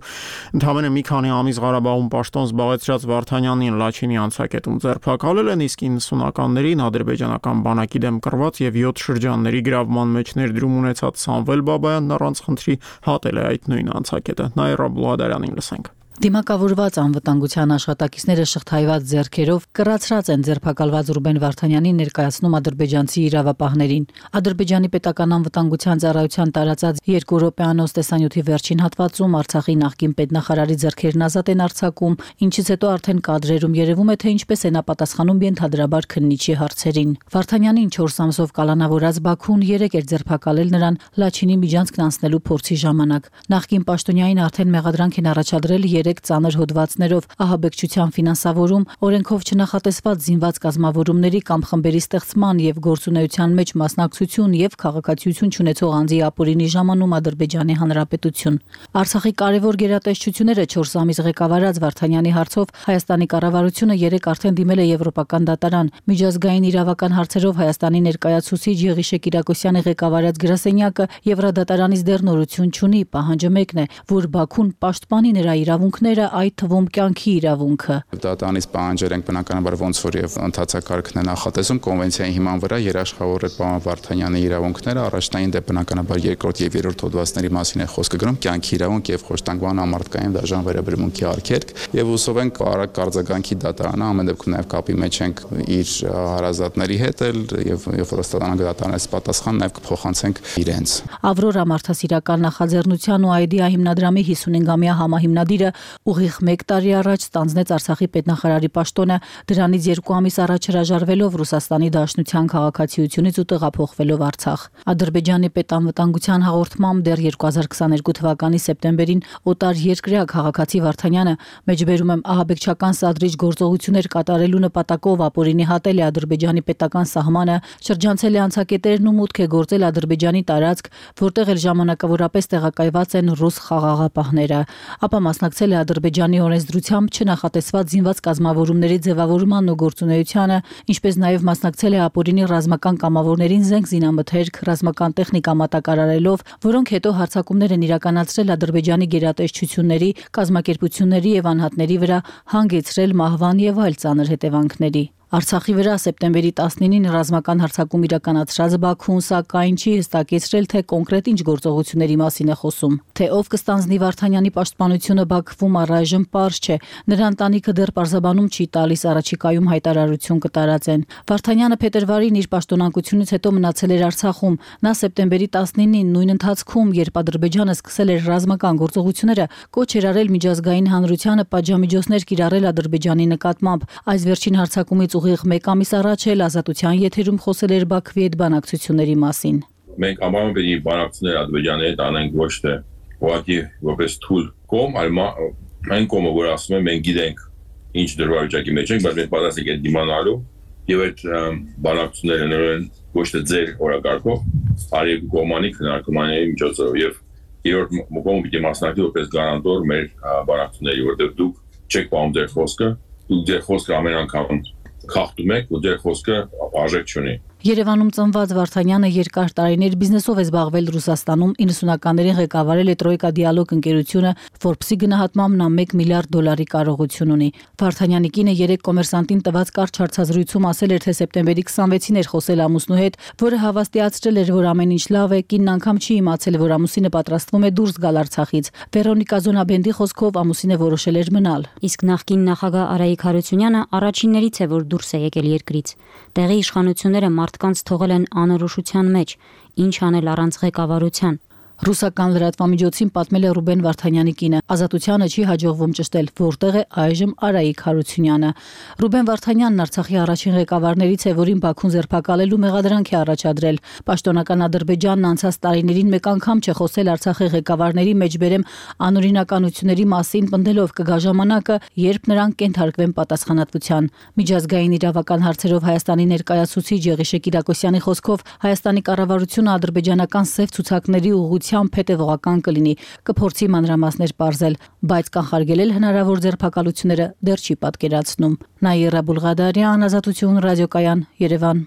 ընդհանրապես մի քանի ամիս Ղարաբաղում պաշտոն զբաղեցրած Վարդանյանին Լաչինի անցակետում ձերբակալել են, իսկ իննսունականներին ադրբեջանական բանակի դեմ կռված եւ յոթ շրջանների գրավման մեջ ներդրում ունեցած Սամվել Բաբայանն առանց խնդրի հատել է այդ նույն անցակետը։ Նայրա Բլուադարյանին լսենք։ Դիմակավորված անվտանգության աշխատակիցները շղթայված ձեռքերով կռացրած են ձերբակալված Ռուբեն Վարդանյանին ներկայացնում ադրբեջանցի իրավապահներին։ Ադրբեջանի պետական անվտանգության ծառայության տարածած երկու րոպեանոց տեսանյութի վերջին հատվածում Արցախի նախկին պետնախարարի ձեռքերն ազատ են արձակում, ինչից հետո արդեն կադրերում երևում է, թե ինչպես է նա պատասխանում ենթադրաբար քննիչի հարցերին։ Վարդանյանին չորս ամսով կալանավորած Բաքուն երեք էր ձերբակալել նրան Լաչինի միջանցքն անցնելու փորձի ժամանակ։ Նախկին պաշտոնյային արդեն մեղադրանք են առաջադրել երեք ծանր հոդվածներով ահաբեկչության ֆինանսավորում, օրենքով չնախատեսված զինված կազմավորումների կամ խմբերի ստեղծման եւ գործունեության մեջ մասնակցություն եւ քաղաքացիություն չունեցող անձի ապօրինի ժամանում Ադրբեջանի Հանրապետություն։ Արցախի կարևոր գերատեսչությունները չորս ամիս ղեկավարած Վարդանյանի հարցով Հայաստանի կառավարությունը երեք արդեն դիմել է Եվրոպական դատարան։ Միջազգային իրավական հարցերով Հայաստանի ներկայացուցիչ Եղիշե Կիրակոսյանի ղեկավարած գրասենյակը Եվրադատարանից դեռ նորություն չունի, պահանջը մեկն է, որ Բաքուն պաշտպանի նրա իրավունքները, այդ թվում կյանքի իրավունքը։ Դատարանից պահանջել ենք բնականաբար ոնց որ եւ ընդհանցակարգն է նախատեսում կոնվենցիայի հիման վրա երաշխավորել պարոն Վարդանյանի իրավունքները, առաջնային դեպ բնականաբար երկրորդ եւ երրորդ հոդվածների մասին է խոսքը գրում, կյանքի իրավունք եւ խոշտանգման ամարտկային դաժան վերաբերմունքի արգելք, եւ հուսով ենք արագ կարձագանքի դատարանը ամեն դեպքում նաեւ կապի մեջ ենք իր հարազատների հետ եւ երբ որ ստանանք դատարանից պատասխան նաեւ կփոխանցենք իրենց։ Ավրորա մարդասիրական նախաձեռնության ու Այդիա հիմնադրամի հիսունհինգամյա համահիմնադիրը ուղիղ մեկ տարի առաջ ստանձնեց Արցախի պետնախարարի պաշտոնը, դրանից երկու ամիս առաջ հրաժարվելով Ռուսաստանի Դաշնության քաղաքացիությունից ու տեղափոխվելով Արցախ։ Ադրբեջանի պետանվտանգության հաղորդմամբ դեռ երկու հազար քսաներկու թվականի սեպտեմբերին օտար երկրյա քաղաքացի Վարդանյանը մեջբերում եմ ահաբեկչական սադրիչ գործողություններ կատարելու նպատակով ապօրինի հատել է Ադրբեջանի պետական սահմանը, շրջանցել է անցակետերն ու մուտք է գործել Ադրբեջանի տարածք, որտեղ էլ ժամանակավորապես տեղակայված են ռուս խաղաղապահները, ապա մասնակցել է Ադրբեջանի օրենսդրությամբ չնախատեսված զինված կազմավորումների ձևավորման ու գործունեությանը, ինչպես նաև մասնակցել է ապօրինի ռազմական կամավորներին զենք զինամթերք, ռազմական տեխնիկա մատակարարելով, որոնք հետո հարձակումներ են իրականացրել Ադրբեջանի գերատեսչությունների, կազմակերպությունների եւ անհատների վրա, հանգեցրել մահվան եւ այլ ծանր հետևանքների։ Արցախի վրա սեպտեմբերի տասնինին ռազմական հարձակում իրականացրած Բաքուն սակայն չի հստակեցրել, թե կոնկրետ ինչ գործողությունների մասին է խոսում։ Թե ով կստանձնի Վարդանյանի պաշտպանությունը Բաքվում առայժմ պարզ չէ։ Նրա ընտանիքը դեռ պարզաբանում չի տալիս, առաջիկայում հայտարարություն կտարածեն։ Վարդանյանը փետրվարին իր պաշտոնակությունից հետո մնացել էր Արցախում։ Նա սեպտեմբերի տասնինին նույն ընթացքում, երբ Ադրբեջանը սկսել էր ռազմական գործողությունները, կոչ էր արել միջազգային հանրությանը պատժամիջոցներ կիրառել Ադրբեջանի նկատմամբ։ Այս վերջին հարձակումից ուղիղ մեկ ամիս առաջ էլ Ազատության եթերում խոսել էր Բաքվի հետ բանակցությունների մասին։ Մենք ամառում պետք է բանակցություններ Ադրբեջանի հետ անենք ոչ թե ուղղակի որպես թույլ կողմ, այլ այն կողմը, որ ասում է մենք գիտենք ինչ դժվարությունների մեջ ենք, բայց մենք պատրաստ ենք դիմանալու եւ այդ բանակցությունները նորեն ոչ թե ձեր օրակարգով, այլ երկու կողմանի քննարկումների միջոցով եւ երրորդ կողմը պիտի մասնակցի որպես գարանտոր մեր բանակցությունների, որտեղ դուք չեք պահում ձեր խոսքը, դուք ձեր խոսքը ամեն անգամ խախտում եք ու ձեր խոսքը արժեք չունի։ Երևանում ծնված Վարդանյանը երկար տարիներ բիզնեսով է զբաղվել Ռուսաստանում, իննսունականներին ղեկավարել է Տրոյկա դիալոգ ընկերությունը, Forbes-ի գնահատմամբ նա մեկ միլիարդ դոլարի կարողություն ունի։ Վարդանյանի կինը երեք կոմերսանտին տված կարճ հարցազրույցում ասել էր, թե սեպտեմբերի քսանվեցին էր խոսել ամուսնու հետ, որը հավաստիացրել էր, որ ամեն ինչ լավ է, կինն անգամ չի իմացել, որ ամուսինը պատրաստվում է դուրս գալ Արցախից։ Վերոնիկա Զոնաբենդի խոսքով ամուսինը որոշել էր մնալ։ Իսկ նախկին նախագահ Արայիկ Հարությունյանը առաջիններից է, որ դուրս է եկել երկրից։ Տեղի իշխանությունները մարդկանց թողել են անորոշության մեջ, ինչ անել առանց ղեկավարության։ Ռուսական լրատվամիջոցին պատմել է Ռուբեն Վարդանյանի կինը։ Ազատությանը չի հաջողվում ճշտել, որտեղ է այժմ Արայիկ Հարությունյանը։ Ռուբեն Վարդանյանն Արցախի առաջին ղեկավարներից է, որին Բաքուն ձերբակալելու մեղադրանք է առաջադրել։ Պաշտոնական Ադրբեջանն անցած տարիներին մեկ անգամ չէ խոսել Արցախի ղեկավարների մեջբերեմ անօրինականությունների մասին, պնդելով կգա ժամանակը, երբ նրանք կենթարկվեն պատասխանատվության։ Միջազգային իրավական հարցերով Հայաստանի ներկայացուցիչ Եղիշե Կիրակոսյանի խոսքով Հայաստանի կառավարությունը ադրբեջանական սև ցուցակների ուղղությամբ հետևողական կլինի, կփորձի մանրամասներ պարզել, բայց կանխարգելել հնարավոր ձերբակալությունները դեռ չի պատկերացնում։ Նաիրա Բուլղադարյան, Ազատություն, ռադիոկայան, Երևան։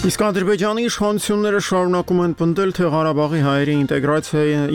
Իսկ Ադրբեջանի իշխանությունները շարունակում են պնդել, թե Ղարաբաղի հայերի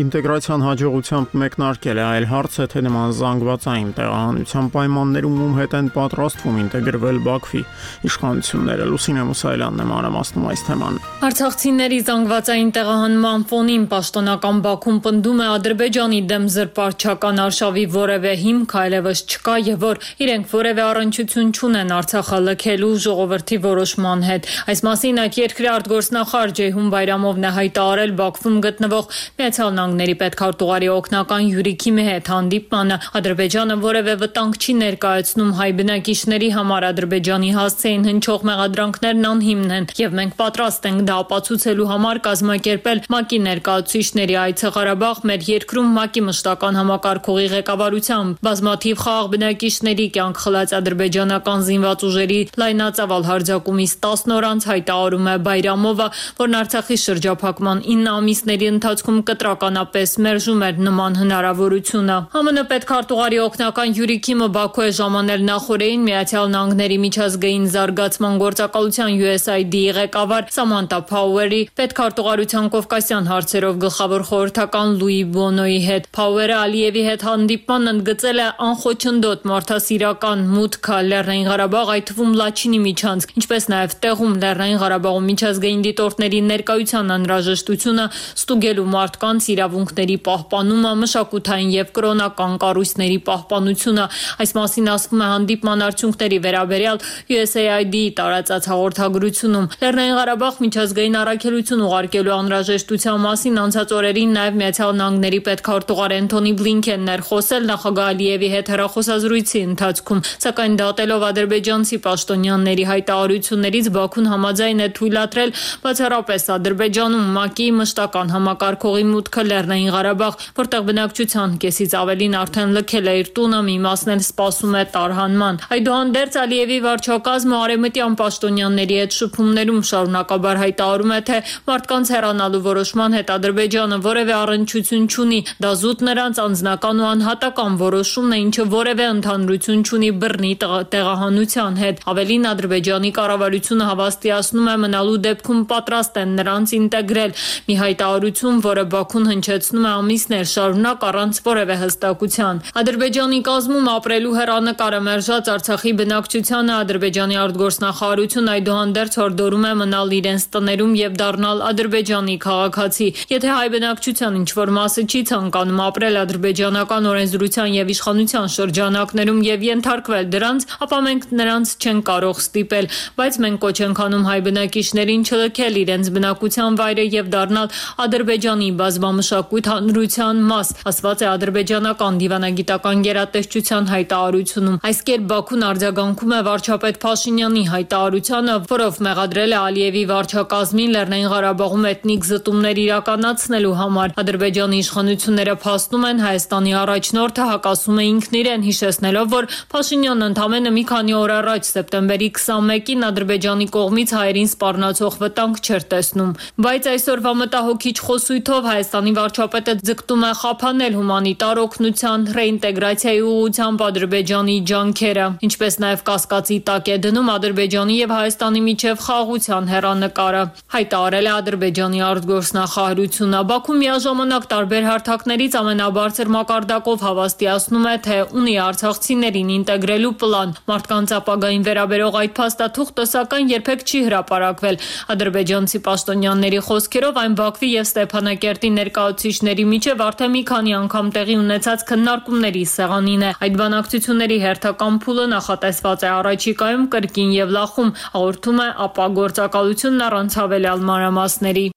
ինտեգրացիան հաջողությամբ մեկնարկել է, այլ հարց է, թե նման զանգվածային տեղահանության պայմաններում ում հետ են պատրաստվում ինտեգրվել Բաքվի իշխանությունները։ Լուսինե Մուսայելյանն է մանրամասնում այս թեման։ Արցախցիների զանգվածային տեղահանման ֆոնին պաշտոնական Բաքուն պնդում է Ադրբեջանի դեմ զրպարտչական արշավի որևէ հիմք այլևս չկա եւ որ իրենք որևէ առնչություն չունեն Արցախը լքելու ժողովրդի որոշման հետ։ Այս մասին այդ երկրի արտգործնախարար Ջեյհուն Բայրամովն է հայտարարել Բաքվում գտնվող Միացյալ Նահանգների պետքարտուղարի օգնական Յուրիքի հետ հանդիպմանը։ Ադրբեջանը որևէ վտանգ չի ներկայացնում հայ բնակիչների համար, Ադրբեջանի հասցեին հնչող մեղադրանքներն անհիմն են եւ մենք պատրաստ ենք դա ապացուցելու համար կազմակերպել ՄԱԿ-ի ներկայացուցիչների այցը Ղարաբաղ, մեր երկրում ՄԱԿ-ի մշտական համակարգողի ղեկավարությամբ բազմաթիվ խաղաղ բնակիչների կյանք խլած ադրբեջանական զինված ուժերի լայնածավալ հարձակումից տասն օր անց հայտարարում է Բայրամովը, որն Արցախի շրջափակման ինը ամիսների ընթացքում կտրականապես մերժում էր նման հնարավորությունը։ ԱՄՆ պետքարտուղարի օգնական Յուրիքը Բաքու է ժամանել նախորդին Միացյալ Նահանգների միջազգային զարգացման գործակալության յու էս այ դի-ի ղեկավար Սամանթա Փաուերի, պետքարտուղարության կովկասյան հարցերով գլխավոր խորհրդական Լուի Բոնոյի հետ։ Փաուերը Ալիևի հետ հանդիպման ընդգծել է անխոչնդոտ մարդասիրական մուտքը Լեռնային Ղարաբաղ, այդ թվում Լաչինի միջանցք, ինչպես նաև տեղում Լեռնային Ղարաբաղում միջազգային դիտորդների ներկայության անհրաժեշտությունը, ստուգելու մարդկանց իրավունքների պահպանումը, մշակութային եւ կրոնական կառույցների պահպանությունը։ Այս մասին ասվում է հանդիպման արդյունքների վերաբերյալ յու էս այ դի-ի տարածած հաղորդագրությունում։ Լեռնային Ղարաբաղ միջազգային առաքելություն ուղարկելու անհրաժեշտության մասին անցած օրերին նաև Միացյալ Նահանգների պետքարտուղար Էնթոնի Բլինքենն էր խոսել նախագահ Ալիևի հետ հեռախոսազրույցի ընթացքում, սակայն դատելով ադրբեջանցի պաշտոնյաների հայտարարություններից Բաքուն համաձայն է թույլատրել բացառապես Ադրբեջանում ՄԱԿ-ի մշտական համակարգողի մուտքը Լեռնային Ղարաբաղ, որտեղ բնակչության կեսից ավելին արդեն լքել է իր տունը, մի մասն էլ սպասում է տարհանման։ Այդուհանդերձ Ալիևի վարչակազմը արևմտյան պաշտոնյաների հետ շփումներում շարունակաբար հայտարարում է, թե մարդկանց հեռանալու որոշման հետ Ադրբեջանը որևէ առնչություն չունի, դա զուտ նրանց անձնական ու անհատական որոշումն է, ինչը որևէ ընդհանրություն չունի բռնի տեղահանության հետ։ Ավելին, Ադրբեջանի կառավարությունը հավաստիացնում է մնալու դեպքում պատրաստ են նրանց ինտեգրել։ Մի հայտարարություն, որը Բաքուն հնչեցնում է ամիսներ շարունակ առանց որևէ հստակության։ Ադրբեջանի կազմում ապրելու հեռանկարը մերժած Արցախի բնակչությանը Ադրբեջանի արտգործնախարարությունը այդուհանդերձ հորդորում է մնալ իրենց տներում եւ դառնալ Ադրբեջանի քաղաքացի։ Եթե հայ բնակչության ինչ-որ մասը չի ցանկանում ապրել ադրբեջանական օրենսդրության եւ իշխանության շրջանակներում եւ ենթարկվել դրանց, ապա մենք նրանց չենք կարող ստիպել, բայց մենք կոչ ենք անում հայ բնակիչներին չլքել իրենց բնակության վայրը եւ դառնալ Ադրբեջանի բազմամշակույթ հանրության մաս, ասված է ադրբեջանական դիվանագիտական գերատեսչության հայտարարությունում։ Այս կերպ Բաքուն արձագանքում է վարչապետ Փաշինյանի հայտարարությանը, որով մեղադրել է Ալիևի վարչակազմին Լեռնային Ղարաբաղում էթնիկ զտումներ իրականացնելու համար։ Ադրբեջանի իշխանությունները փաստում են Հայաստանի առաջնորդը հակասում է ինքն իրեն, հիշեցնելով, որ Փաշինյանն ընդամենը մի քանի օր առաջ սեպտեմբերի քսանմեկին Ադրբեջանի կողմից հայերին սպառնացող վտանգ չէր տեսնում։ Բայց այսօրվա մտահոգիչ խոսույթով Հայաստանի վարչապետը ձգտում է խափանել հումանիտար օգնության, ռեինտեգրացիայի ուղղությամբ Ադրբեջանի ջանքերը, ինչպես նաև կասկածի տակ է դնում Ադրբեջանի եւ Հայաստանի միջև խաղաղության հեռանկարը, հայտարարել է Ադրբեջանի արտգործնախարարությունը։ Բաքուն միաժամանակ տարբեր հարթակներից ամենաբարձր մակարդակով հավաստիացնում է, թե ունի արցախցիներին ինտեգրելու պլան։ Մարդկանց ապագային վերաբերող այդ փաստաթուղթը սակայն երբեք չի հրապարակվել հրապարակվել։ Ադրբեջանցի պաշտոնյաների խոսքերով այն Բաքվի եւ Ստեփանակերտի ներկայացուցիչների միջև արդեն մի քանի անգամ տեղի ունեցած քննարկումների սեղանին է։ Այդ բանակցությունների հերթական փուլը նախատեսված է առաջիկայում կրկին եւ լախում, հաղորդում է ԱՊԱ գործակալությունն առանց հավելյալ մանրամասների։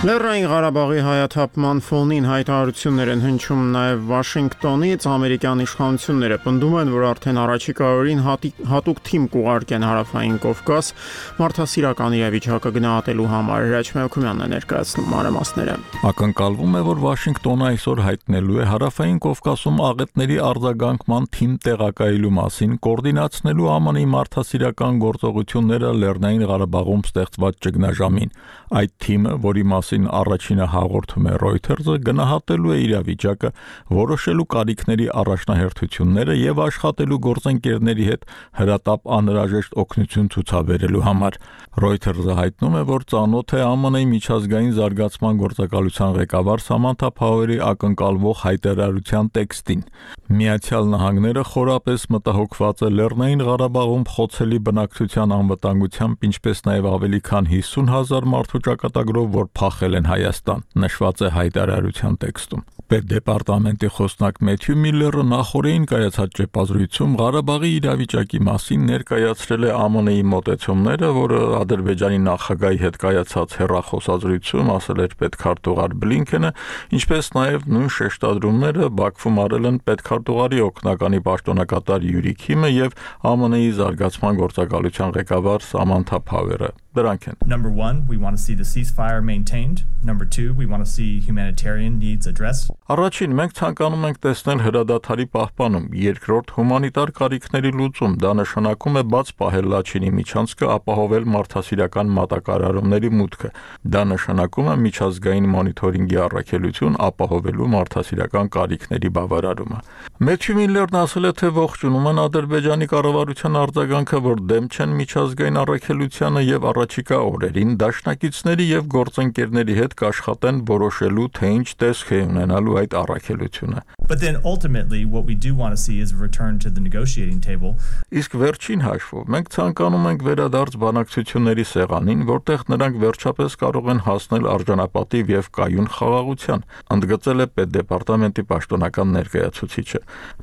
Լեռնային Ղարաբաղի հայաթափման ֆոնին հայտարարություններ են հնչում նաև Վաշինգտոնից։ Ամերիկյան իշխանությունները պնդում են, որ արդեն առաջիկա օրերին հատուկ թիմ կուղարկեն հարավային Կովկաս մարդասիրական իրավիճակը գնահատելու համար։ Հրաչ Մելքումյանն է ներկայացնում մանրամասները։ Ակնկալվում է, որ Վաշինգտոնը այսօր հայտնելու է հարավային Կովկասում աղետների արձագանքման թիմ տեղակայելու մասին, կոորդինացնելու ԱՄՆ-ի մարդասիրական գործողությունները Լեռնային Ղարաբաղում ստեղծված ճգնաժամին։ Այդ թիմը, որի մասին առաջինը հաղորդում է Reuters-ը, գնահատելու է իրավիճակը, որոշելու կարիքների առաջնահերթությունները եւ աշխատելու գործընկերների հետ հրատապ անհրաժեշտ օգնություն ցուցաբերելու համար։ Reuters-ը հայտնում է, որ ծանոթ է ԱՄՆ-ի միջազգային զարգացման գործակալության ղեկավար Սամանթա Փաուերի ակնկալվող հայտարարության տեքստին։ Միացյալ Նահանգները խորապես մտահոգված է Լեռնային Ղարաբաղում խոցելի բնակչության անվտանգությամբ, ինչպես նաև ավելի քան հիսուն հազար մարդու ճակատագրով, որ փախել են Հայաստան, նշված է հայտարարության տեքստում։ Պետդեպարտամենտի խոսնակ Մեթյու Միլլերը նախորդին կայացած ճեպազրույցում Ղարաբաղի իրավիճակի մասին ներկայացրել է ԱՄՆ-ի մոտեցումները, որը Ադրբեջանի նախագահի հետ կայացած հեռախոսազրույցում ասել էր պետքարտուղար Բլինքենը, ինչպես նաև նույն շեշտադրումները Բաքվում արել են պետքարտուղարի օգնականի պաշտոնակատար Յուրի Քիմը եւ ԱՄՆ-ի զարգացման գործակալության ղեկավար Սամանթա Փաուերը։ Դրանք են. Number one, we want to see the ceasefire maintained. Number two, we want to see humanitarian needs addressed. Առաջին, մենք ցանկանում ենք տեսնել հրադադարի պահպանում, երկրորդ հումանիտար կարիքների լուծում, դա նշանակում է բաց պահել Լաչինի միջանցքը, ապահովել մարդասիրական մատակարարումների մուտքը, դա նշանակում է միջազգային մոնիթորինգի առաքելություն, ապահովելու մարդասիրական կարիքների բավարարումը։ Մեթյու Միլլերն ասել է, թե ողջունում են Ադրբեջանի կառավարության արձագանքը, որ դեմ չեն միջազգային առաքելությանը եւ առաջիկա օրերին դաշնակիցների եւ գործընկերների հետ կաշխատեն որոշելու, թե ինչ տեսք է ունենալու այդ առաքելությունը։ But then ultimately what we do want to see is a return to the negotiating table. Իսկ վերջին հաշվով մենք ցանկանում ենք վերադարձ բանակցությունների սեղանին, որտեղ նրանք վերջապես կարող են հասնել արժանապատիվ եւ կայուն խաղաղության, ընդգծել է պետդեպարտամենտի պաշտոնական ներկայացուցիչը։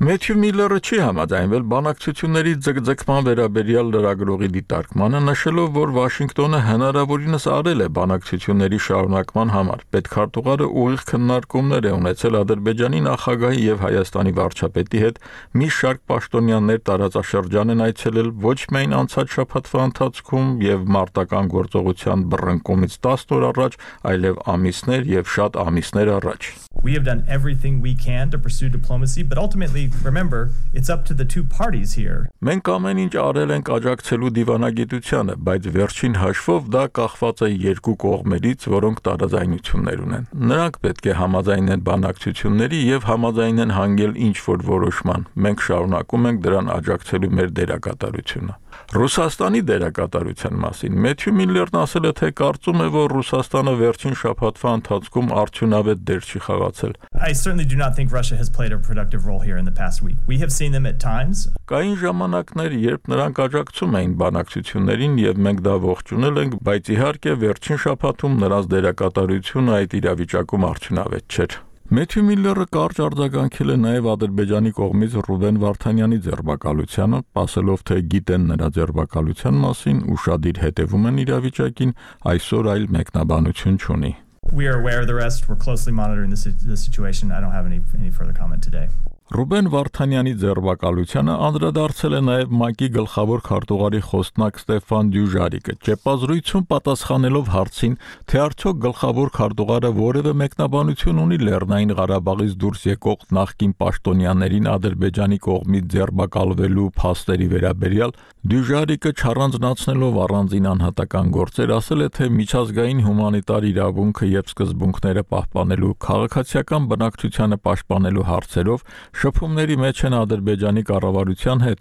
Մեթյու Միլլերը չի համաձայնվել բանակցությունների ձգձգման վերաբերյալ լրագրողի դիտարկմանը, նշելով, որ Վաշինգտոնը հնարավորինս արել է բանակցությունների շարունակման համար։ Պետքարտուղարը ուղիղ քննարկումներ է ունեցել Ադրբեջանի նախագահի եւ Հայաստանի վարչապետի հետ, մի շարք պաշտոնյաներ տարածաշրջան են այցելել ոչ միայն անցած շաբաթվա ընթացքում եւ մարտական գործողության բռնկումից տասն օր առաջ, այլև ամիսներ եւ շատ ամիսներ առաջ։ We have done everything we can to pursue diplomacy, but ultimately, remember, it's up to the two parties here. Մենք ամեն ինչ արել ենք աջակցելու դիվանագիտությանը, բայց վերջին հաշվով դա կախված է երկու կողմերից, որոնք տարաձայնություններ ունեն։ Նրանք պետք է համաձայնեն բանակցությունների եւ համաձայնեն հանգել ինչ-որ որոշման։ Մենք շարունակում ենք դրան աջակցելու մեր դերակատարությունը։ Ռուսաստանի դերակատարության մասին Մեթյու Միլլերն ասել է, թե կարծում է, որ Ռուսաստանը վերջին շաբաթվա ընթացքում արդյունավետ դեր չի խաղացել։ I certainly do not think Russia has played a productive role here in the past week. We have seen them at times. Կային ժամանակներ, երբ նրանք աջակցում էին բանակցություններին եւ մենք դա ողջունել ենք, բայց իհարկե վերջին շաբաթում նրանց դերակատարությունը այդ իրավիճակում արդյունավետ չէր։ Մեթյու Միլլերը կարճ արձագանքել է նաև Ադրբեջանի կողմից Ռուբեն Վարդանյանի ձերբակալությանը, ասելով, թե գիտեն նրա ձերբակալության մասին, ուշադիր հետևում են իրավիճակին, այսօր այլ մեկնաբանություն չունի։ We are aware of the rest. We're closely monitoring the, the situation. I don't have any any further comment today. Ռուբեն Վարդանյանի ձերբակալությանը անդրադարձել է նաև ՄԱԿ-ի գլխավոր քարտուղարի խոսնակ Ստեփան Դյուժարիկը, ճեպազրույցում պատասխանելով հարցին, թե արդյոք գլխավոր քարտուղարը որևէ մեկնաբանություն ունի Լեռնային Ղարաբաղից դուրս եկող նախկին պաշտոնյաներին Ադրբեջանի կողմից ձերբակալվելու փաստերի վերաբերյալ, Դյուժարիկը չառանձնացնելով առանձին անհատական գործեր ասել է, թե միջազգային հումանիտար իրավունքը եւ սկզբունքները պահպանելու, քաղաքացիական բնակչությանը պաշտպանելու հարցերով շփումների մեջ են Ադրբեջանի կառավարության հետ։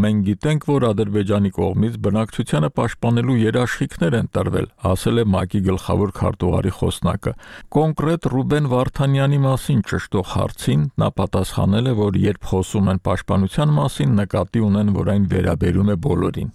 Մենք գիտենք, որ Ադրբեջանի կողմից բնակչությանը պաշտպանելու երաշխիքներ են տրվել, ասել է ՄԱԿ-ի գլխավոր քարտուղարի խոսնակը։ Կոնկրետ Ռուբեն Վարդանյանի մասին ճշտող հարցին նա պատասխանել է, որ երբ խոսում են պաշտպանության մասին, նկատի ունեն, որ այն վերաբերում է բոլորին։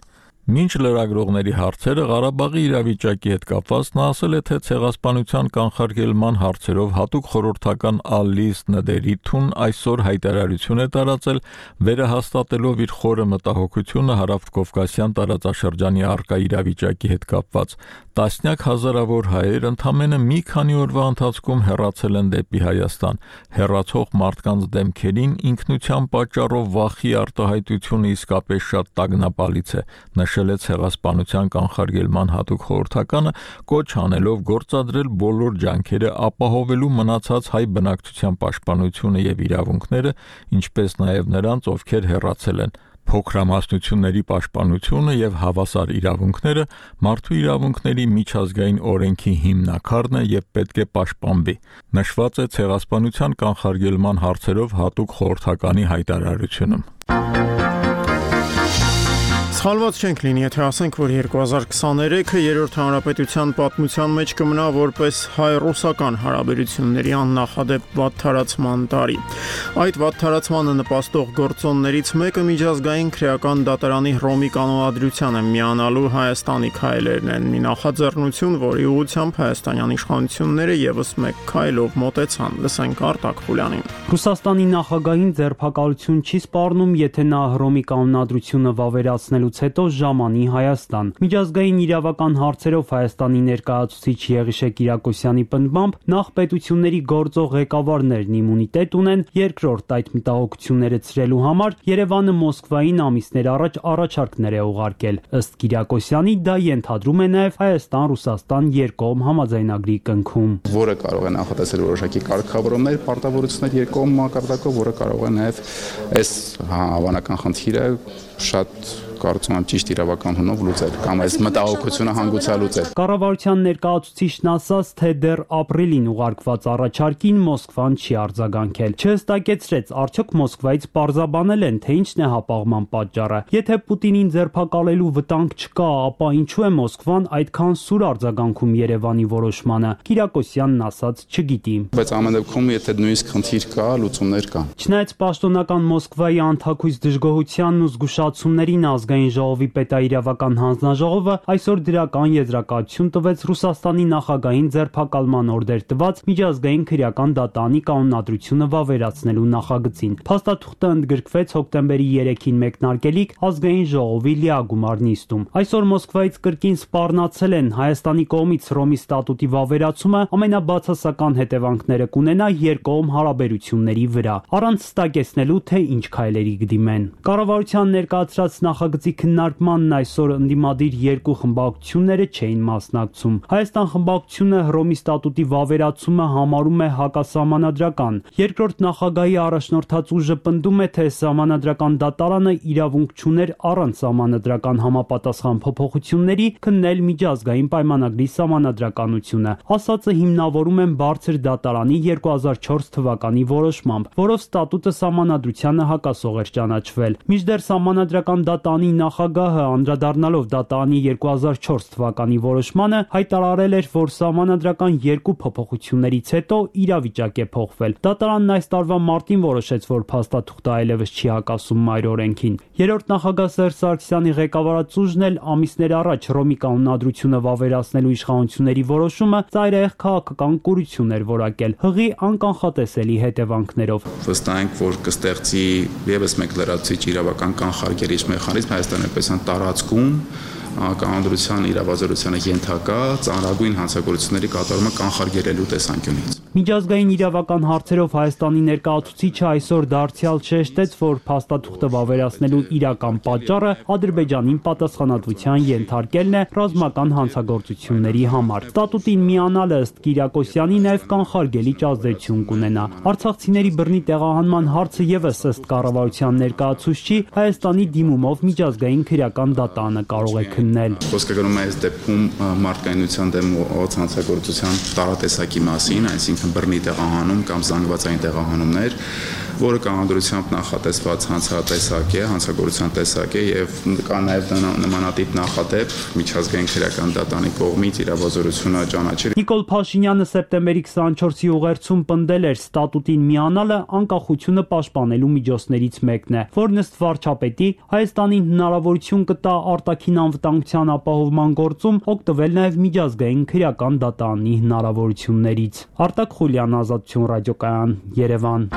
Մինչ լրագրողների հարցերը Ղարաբաղի իրավիճակի հետ կապված նա ասել է, թե ցեղասպանության կանխարգելման հարցերով հատուկ խորհրդական Ալիս Նդերիթուն այսօր հայտարարություն է տարածել, վերահաստատելով իր խորը մտահոգությունը հարավկովկասյան տարածաշրջանի առկա իրավիճակի հետ կապված։ Տասնյակ հազարավոր հայեր ընդամենը մի քանի օրվա ընթացքում հեռացել են դեպի Հայաստան։ Հեռացող մարդկանց դեմքերին ինքնության պատճառով վախի արտահայտությունը իսկապես շատ տագնապալից է, նշել է ցեղասպանության կանխարգելման հատուկ խորհրդականը, կոչ անելով գործադրել բոլոր ջանքերը ապահովելու մնացած հայ բնակչության պաշտպանությունը եւ իրավունքները, ինչպես նաեւ նրանց, ովքեր հեռացել են։ Փոքրամասնությունների պաշտպանությունը եւ հավասար իրավունքները մարդու իրավունքների միջազգային օրենքի հիմնաքարն է եւ պետք է պաշտպանվի։ Նշված է ցեղասպանության կանխարգելման հարցերով հատուկ խորհրդականի հայտարարությունում։ Սխալված չենք լինի, եթե ասենք, որ երկու հազար քսաներեքը երրորդ հանրապետության պատմության մեջ կմնա որպես հայ-ռուսական հարաբերությունների աննախադեպ վատթարացման տարի։ Այդ վատթարացմանը նպաստող գործոններից մեկը միջազգային քրեական դատարանի Հռոմի կանոնադրությանը միանալու Հայաստանի քայլերն են։ Մի նախաձեռնություն, որի ուղղությամբ հայաստանյան իշխանությունները եւս մեկ քայլով մոտեցան։ Լսենք Արտակ Խուլյանին։ Ռուսաստանի նախագահին ձերբակալություն չի սպառնում, եթե նա Հռոմի կանոնադրությունը վավերացնելու հետո ժամանի Հայաստան։ Միջազգային իրավական հարցերով Հայաստանի ներկայացուցիչ Եղիշե Կիրակոսյանի պնդմամբ նախ պետությունների գործող ղեկավարներն իմունիտետ ունեն, երկրորդ այդ մտահոգությունները ցրելու համար Երևանը Մոսկվային ամիսներ առաջ առաջարկներ է ուղարկել։ Ըստ Կիրակոսյանի դա ենթադրում է նաև Հայաստան-Ռուսաստան երկկողմ համաձայնագրի կնքում, որը կարող է նախատեսել որոշակի կարգավորումներ, պարտավորություններ երկկողմ մակարդակով, որը կարող է նաև այս հավանական խնդիրը շատ կարծում եմ ճիշտ իրավական հունով լուծել կամ այս մտահոգությունը հանգուցալուծել։ Կառավարության ներկայացուցիչն ասաց, թե դեռ ապրիլին ուղարկված առաջարկին Մոսկվան չի արձագանքել։ Չհստակեցրեց, արդյոք Մոսկվայից պարզաբանել են, թե ինչն է հապաղման պատճառը։ Եթե Պուտինին ձերբակալելու վտանգ չկա, ապա ինչու է Մոսկվան այդքան սուր արձագանքում Երևանի որոշմանը։ Կիրակոսյանն ասաց չգիտի։ Բայց ամեն դեպքում, եթե նույնիսկ խնդիր կա, լուծումներ կան։ Չնայած պաշտոնական Մոսկվայի անթաքույց դժգոհությանն ու զգուշացումներին ազգային ժողովի պետաիրավական հանձնաժողովը այսօր դրական եզրակացություն տվեց Ռուսաստանի նախագահին ձերբակալման օրդեր տված միջազգային քրեական դատարանի կանոնադրությունը վավերացնելու նախագծին։ Փաստաթուղթը ընդգրկվեց հոկտեմբերի երեքին մեկնարկելիք ազգային ժողովի լիագումար նիստում։ Այսօր Մոսկվայից կրկին սպառնացել են Հայաստանի կողմից Հռոմի ստատուտի վավերացումը ամենաբացասական հետևանքները կունենա երկկողմ հարաբերությունների վրա, առանց ստակեցնելու, թե ինչ քայլերի կդիմեն։ Կառավարության ներկայացրած նախագծի քննարկմանն այսօր ընդդիմադիր երկու խմբակցությունները չէին մասնակցում։ Հայաստան խմբակցությունը Հռոմի ստատուտի վավերացումը համարում է հակասահմանադրական։ Երկրորդ նախագահի առաջնորդած ուժը պնդում է, թե սահմանադրական դատարանը իրավունք չուներ առանց սահմանադրական համապատասխան փոփոխությունների քննել միջազգային պայմանագրի սահմանադրականությունը։ Ասածը հիմնավորում են բարձր դատարանի երկու հազար չորս թվականի որոշմամբ, որով ստատուտը սահմանադրությանը հակասող էր ճանաչվել։ Մինչդեռ սահմանադրական դատարանի նախագահը անդրադառնալով դատարանի երկու հազար չորս թվականի որոշմանը հայտարարել էր, որ սահմանադրական երկու փոփոխություններից հետո իրավիճակ է փոխվել։ Դատարանն այս տարվա մարտին որոշեց, որ փաստաթուղթը այլևս չի հակասում մայր օրենքին։ Երրորդ նախագահ Սերժ Սարգսյանի ղեկավարած ուժն էլ ամիսներ առաջ Հռոմի կանոնադրությունը վավերացնելու իշխանությունների որոշումը ծայրահեղ քաղաքական կուրություն էր որակել հղի անկանխատեսելի հետևանքներով։ Վստահ ենք, որ կստեղծի ևս մեկ լրացուցիչ իրավական կանխարգելիչ մեխանիզմ Հայաստանի պետության տարածքում կանոնադրության իրավազորությանը ենթակա ծանրագույն հանցագործությունների կատարումը կանխարգելելու տեսանկյունից։ Միջազգային իրավական հարցերով Հայաստանի ներկայացուցիչը այսօր դարձյալ շեշտեց, որ փաստաթուղթը վավերացնելու իրական պատճառը Ադրբեջանին պատասխանատվության ենթարկելն է ռազմական հանցագործությունների համար։ Ստատուտին միանալը ըստ Կիրակոսյանի նաև կանխարգելիչ ազդեցություն կունենա։ Արցախցիների բռնի տեղահանման հարցը եւս ըստ կառավարության ներկայացուցչի Հայաստանի դիմումով միջազգային քրեական դատարանը կարող է քննել։ Խոսքը գնում է այս դեպքում մարդկայնության դեմ հանցագործության տարատեսակի մասին, այսինքն բռնի տեղահանում կամ զանգվածային տեղահանումներ, որը կանոնադրությամբ նախատեսված հանցատեսակ է, հանցագործության տեսակ է եւ կա նաեւ նմանատիպ նախադեպ միջազգային քրեական դատարանի կողմից իրավազորությունը ճանաչել։ Նիկոլ Փաշինյանը սեպտեմբերի քսաներկուսի ուղերձում պնդել էր ստատուտին միանալը անկախությունը պաշտպանելու միջոցներից մեկն է, որն ըստ վարչապետի Հայաստանին հնարավորություն կտա արտաքին անվտանգության ապահովման գործում օգտվել նաեւ միջազգային քրեական դատարանի հնարավորություններից։ Արտակ Խուլյան, Ազատություն ռադիոկայան, Երևան։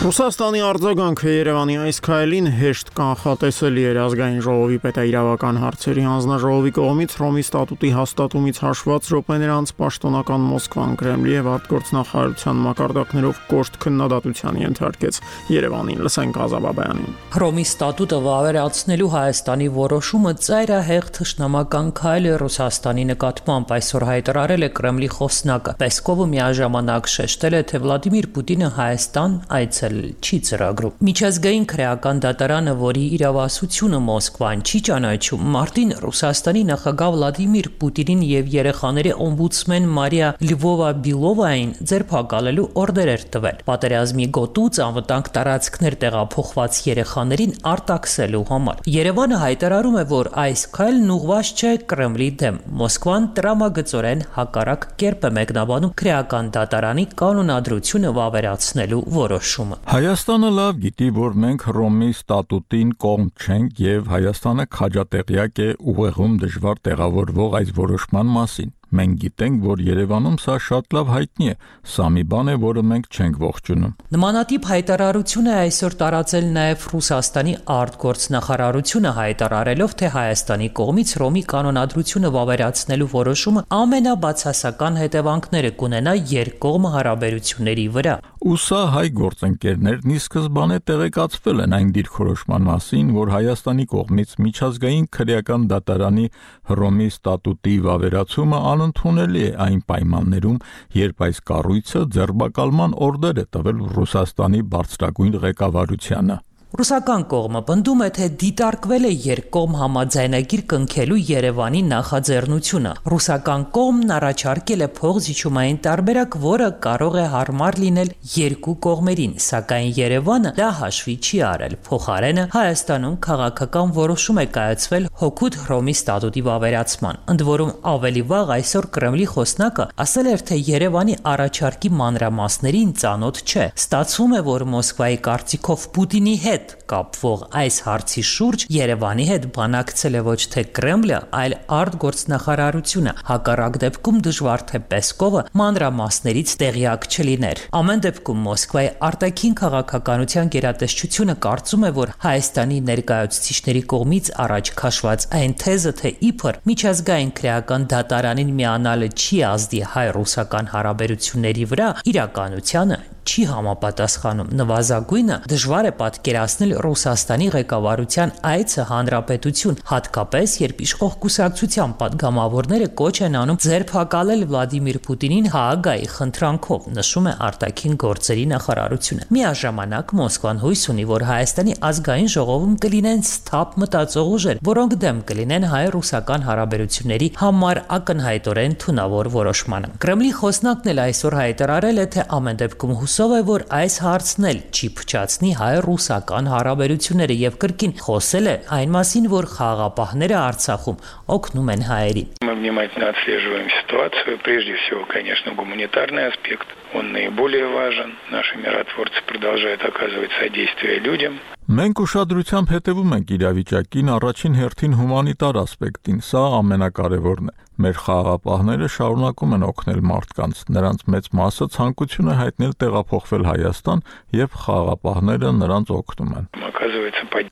Ռուսաստանի արձագանքը Երևանի այս քայլին հեշտ կանխատեսելի էր ազգային ժողովի պետաիրավական հարցերի հանձնաժողովի կողմից Հռոմի ստատուտի հաստատումից հաշված րոպեներ անց պաշտոնական Մոսկվան Կրեմլի եւ արտգործնախարարության մակարդակներով կոշտ քննադատության ենթարկեց Երևանին։ Լսենք Ազաբաբյանին։ Հռոմի ստատուտը վավերացնելու Հայաստանի որոշումը ծայրահեղ թշնամական քայլ է Ռուսաստանի նկատմամբ, այսօր հայտարարել է Կրեմլի խոսնակը։ Պեսկովը միաժամանակ շեշտել է, թե Վլադիմիր Պուտինը Հայաստան այցել չի ծրագրում։ Միջազգային քրեական դատարանը, որի իրավասությունը Մոսկվան չի ճանաչում, մարտին Ռուսաստանի նախագահ Վլադիմիր Պուտինին եւ երեխաների օմբուդսմեն Մարիա Լվովա-Բիլովային ձերբակալելու օրդեր էր տվել։ Պատերազմի գոտուց անվտանգ տարածքներ տեղափոխված երեխաներին արտաքսելու համար։ Երևանը հայտարարում է, որ այս քայլն ուղղված չէ Կրեմլի դեմ։ Մոսկվան տրամագծորեն հակառակ կերպ է մեկնաբանում քրեական դատարանի կանոնադրությունը վավերացնելու որոշումը։ Հայաստանը լավ գիտի, որ մենք Հռոմի ստատուտին կողմ չենք եւ Հայաստանը քաջատեղյակ է ուղեղում դժվար տեղավորվող այս որոշման մասին։ Մենք գիտենք, որ Երևանում սա շատ լավ հայտնի է, սա մի բան է, որը մենք չենք ողջունում։ Նմանատիպ հայտարարություն է այսօր տարածել նաև Ռուսաստանի արտգործնախարարությունը, հայտարարելով, թե Հայաստանի կողմից Հռոմի կանոնադրությունը վավերացնելու որոշումը ամենաբացասական հետևանքները կունենա երկկողմ հարաբերությունների վրա։ Ու սա հայ գործընկերներն ի սկզբանե տեղեկացվել են այն դիրքորոշման մասին, որ Հայաստանի կողմից միջազգային քրեական դատարանի Հռոմի ստատուտի վավերացումը անընդունելի է այն պայմաններում, երբ այս կառույցը ձերբակալման օրդեր է տվել Ռուսաստանի բարձրագույն ղեկավարությանը։ Ռուսական կողմը պնդում է, թե դիտարկվել է երկկողմ համաձայնագիր կնքելու Երևանի նախաձեռնությունը։ Ռուսական կողմն առաջարկել է փոխզիջումային տարբերակ, որը կարող է հարմար լինել երկու կողմերին, սակայն Երևանը դա հաշվի չի արել։ Փոխարենը Հայաստանում քաղաքական որոշում է կայացվել հօգուտ Հռոմի ստատուտի վավերացման։ Ընդ որում ավելի վաղ այսօր Կրեմլի խոսնակը ասել էր, թե Երևանի առաջարկի մանրամասներին ծանոթ չէ։ Ստացվում է, որ Մոսկվայի կարծիքով Պուտինի հետ կապվող այս հարցի շուրջ Երևանի հետ բանակցել է ոչ թե Կրեմլը, այլ արտգործնախարարությունը։ Հակառակ դեպքում դժվար թե Պեսկովը մանրամասներից տեղյակ չլիներ։ Ամեն դեպքում Մոսկվայի արտաքին քաղաքականության գերատեսչությունը կարծում է, որ Հայաստանի ներկայացուցիչների կողմից առաջ քաշված այն թեզը, թե իբր միջազգային քրեական դատարանին միանալը չի ազդի հայ-ռուսական հարաբերությունների վրա, իրականությանը չի համապատասխանում։ Նվազագույնը դժվար է պատկերացնել Ռուսաստանի ղեկավարության այցը հանրապետություն, հատկապես երբ իշխող կուսակցության падգամավորները կոչ են անում ձերբակալել Վլադիմիր Պուտինին Հաագայի խնդրանքով, նշում է արտաքին գործերի նախարարությունը։ Միաժամանակ Մոսկվան հույս ունի, որ Հայաստանի ազգային ժողովում կլինեն սթափ մտածող ուժեր, որոնք դեմ կլինեն հայ-ռուսական հարաբերությունների համար ակնհայտորեն թունավոր որոշմանը։ Կրեմլի խոսնակն էլ այսօր հայտարարել է, թե ամեն դեպքում հուսով է, որ այս հարցն էլ չի փչացնի հայ-ռուսական հարաբերությունները եւ կրկին խոսել է այն մասին, որ խաղաղապահները Արցախում օգնում են հայերին։ Мы внимательно отслеживаем ситуацию, прежде всего, конечно, гуманитарный аспект, он наиболее важен. Наши миротворцы продолжают оказывать содействие людям. Մենք ուշադրությամբ հետևում ենք իրավիճակին, առաջին հերթին հումանիտար ասպեկտին, սա ամենակարևորն է։ Մեր խաղաղապահները շարունակում են օգնել մարդկանց, նրանց մեծ մասը ցանկություն է հայտնել տեղափոխվել Հայաստան եւ խաղաղապահները նրանց օգնում են։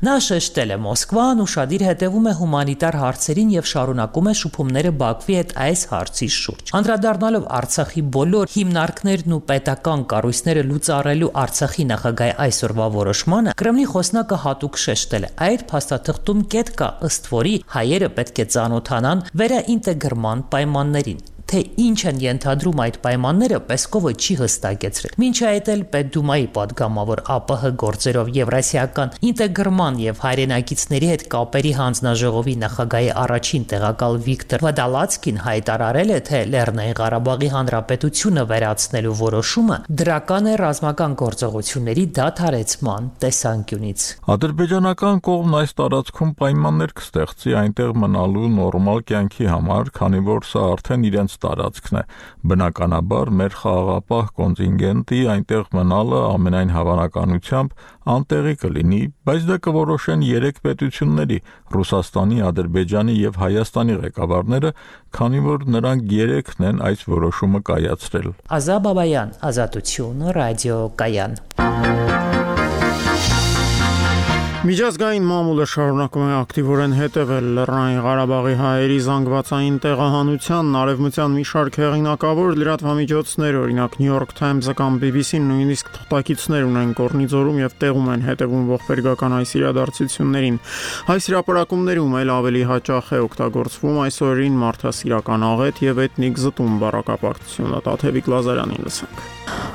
Նա շեշտել է Մոսկվան ուշադիր հետևում է հումանիտար հարցերին եւ շարունակում է շփումները Բաքվի հետ այս հարցի շուրջ։ Անդրադառնալով Արցախի բոլոր հիմնարկներն ու պետական կառույցները լուծարելու Արցախի նախագահի այսօրվա որոշմանը, Կրեմլի խոսնակը հատուկ շեշտել է. այդ փաստաթղթում կետ կա, ըստ որի հայերը պետք է ծանոթանան վերաինտեգրման պայմաններին։ Թե ինչ են ենթադրում այդ պայմանները, Պեսկովը չի հստակեցրել։ Մինչ այդ էլ Պետդումայի падգամավոր ԱՊՀ գործերով Եվրասիական ինտեգրման եւ հայրենակիցների հետ կապերի հանձնաժողովի նախագահի առաջին տեղակալ Վիկտոր Վադալացկին հայտարարել է, թե Լեռնային Ղարաբաղի Հանրապետությունը վերացնելու որոշումը դրական է ռազմական գործողությունների դադարեցման տեսանկյունից։ Ադրբեջանական կողմն այս տարածքում պայմաններ կստեղծի այնտեղ մնալու նորմալ կյանքի համար, քանի որ սա արդեն իրենց տարածքն է։ Բնականաբար մեր խաղաղապահ կոնտինգենտի այնտեղ մնալը ամենայն հավանականությամբ անտեղի կլինի, բայց դա կորոշեն երեք պետությունների՝ Ռուսաստանի, Ադրբեջանի եւ Հայաստանի ղեկավարները, քանի որ նրանք երեքն են այս որոշումը կայացրել։ Ազատ Բաբայան, Ազատություն, ռադիո Կայան։ Միջազգային մամուլը շարունակում է ակտիվորեն հետևել Լեռնային Ղարաբաղի հայերի զանգվածային տեղահանությանն, արևմտյան մի շարք հեղինակավոր լրատվամիջոցներ, օրինակ New York Times-ը կամ B B C-ն նույնիսկ թղթակիցներ ունեն Կորնիձորում եւ տեղում են հետևում ողբերգական այս իրադարձություններին։ Այս հրապարակումներում էլ ավելի հաճախ է օգտագործվում այս օրերին մարդասիրական աղետ եւ էթնիկ զտում բառակապակցությունը։ Տաթևիկ Լազարյանին լսենք։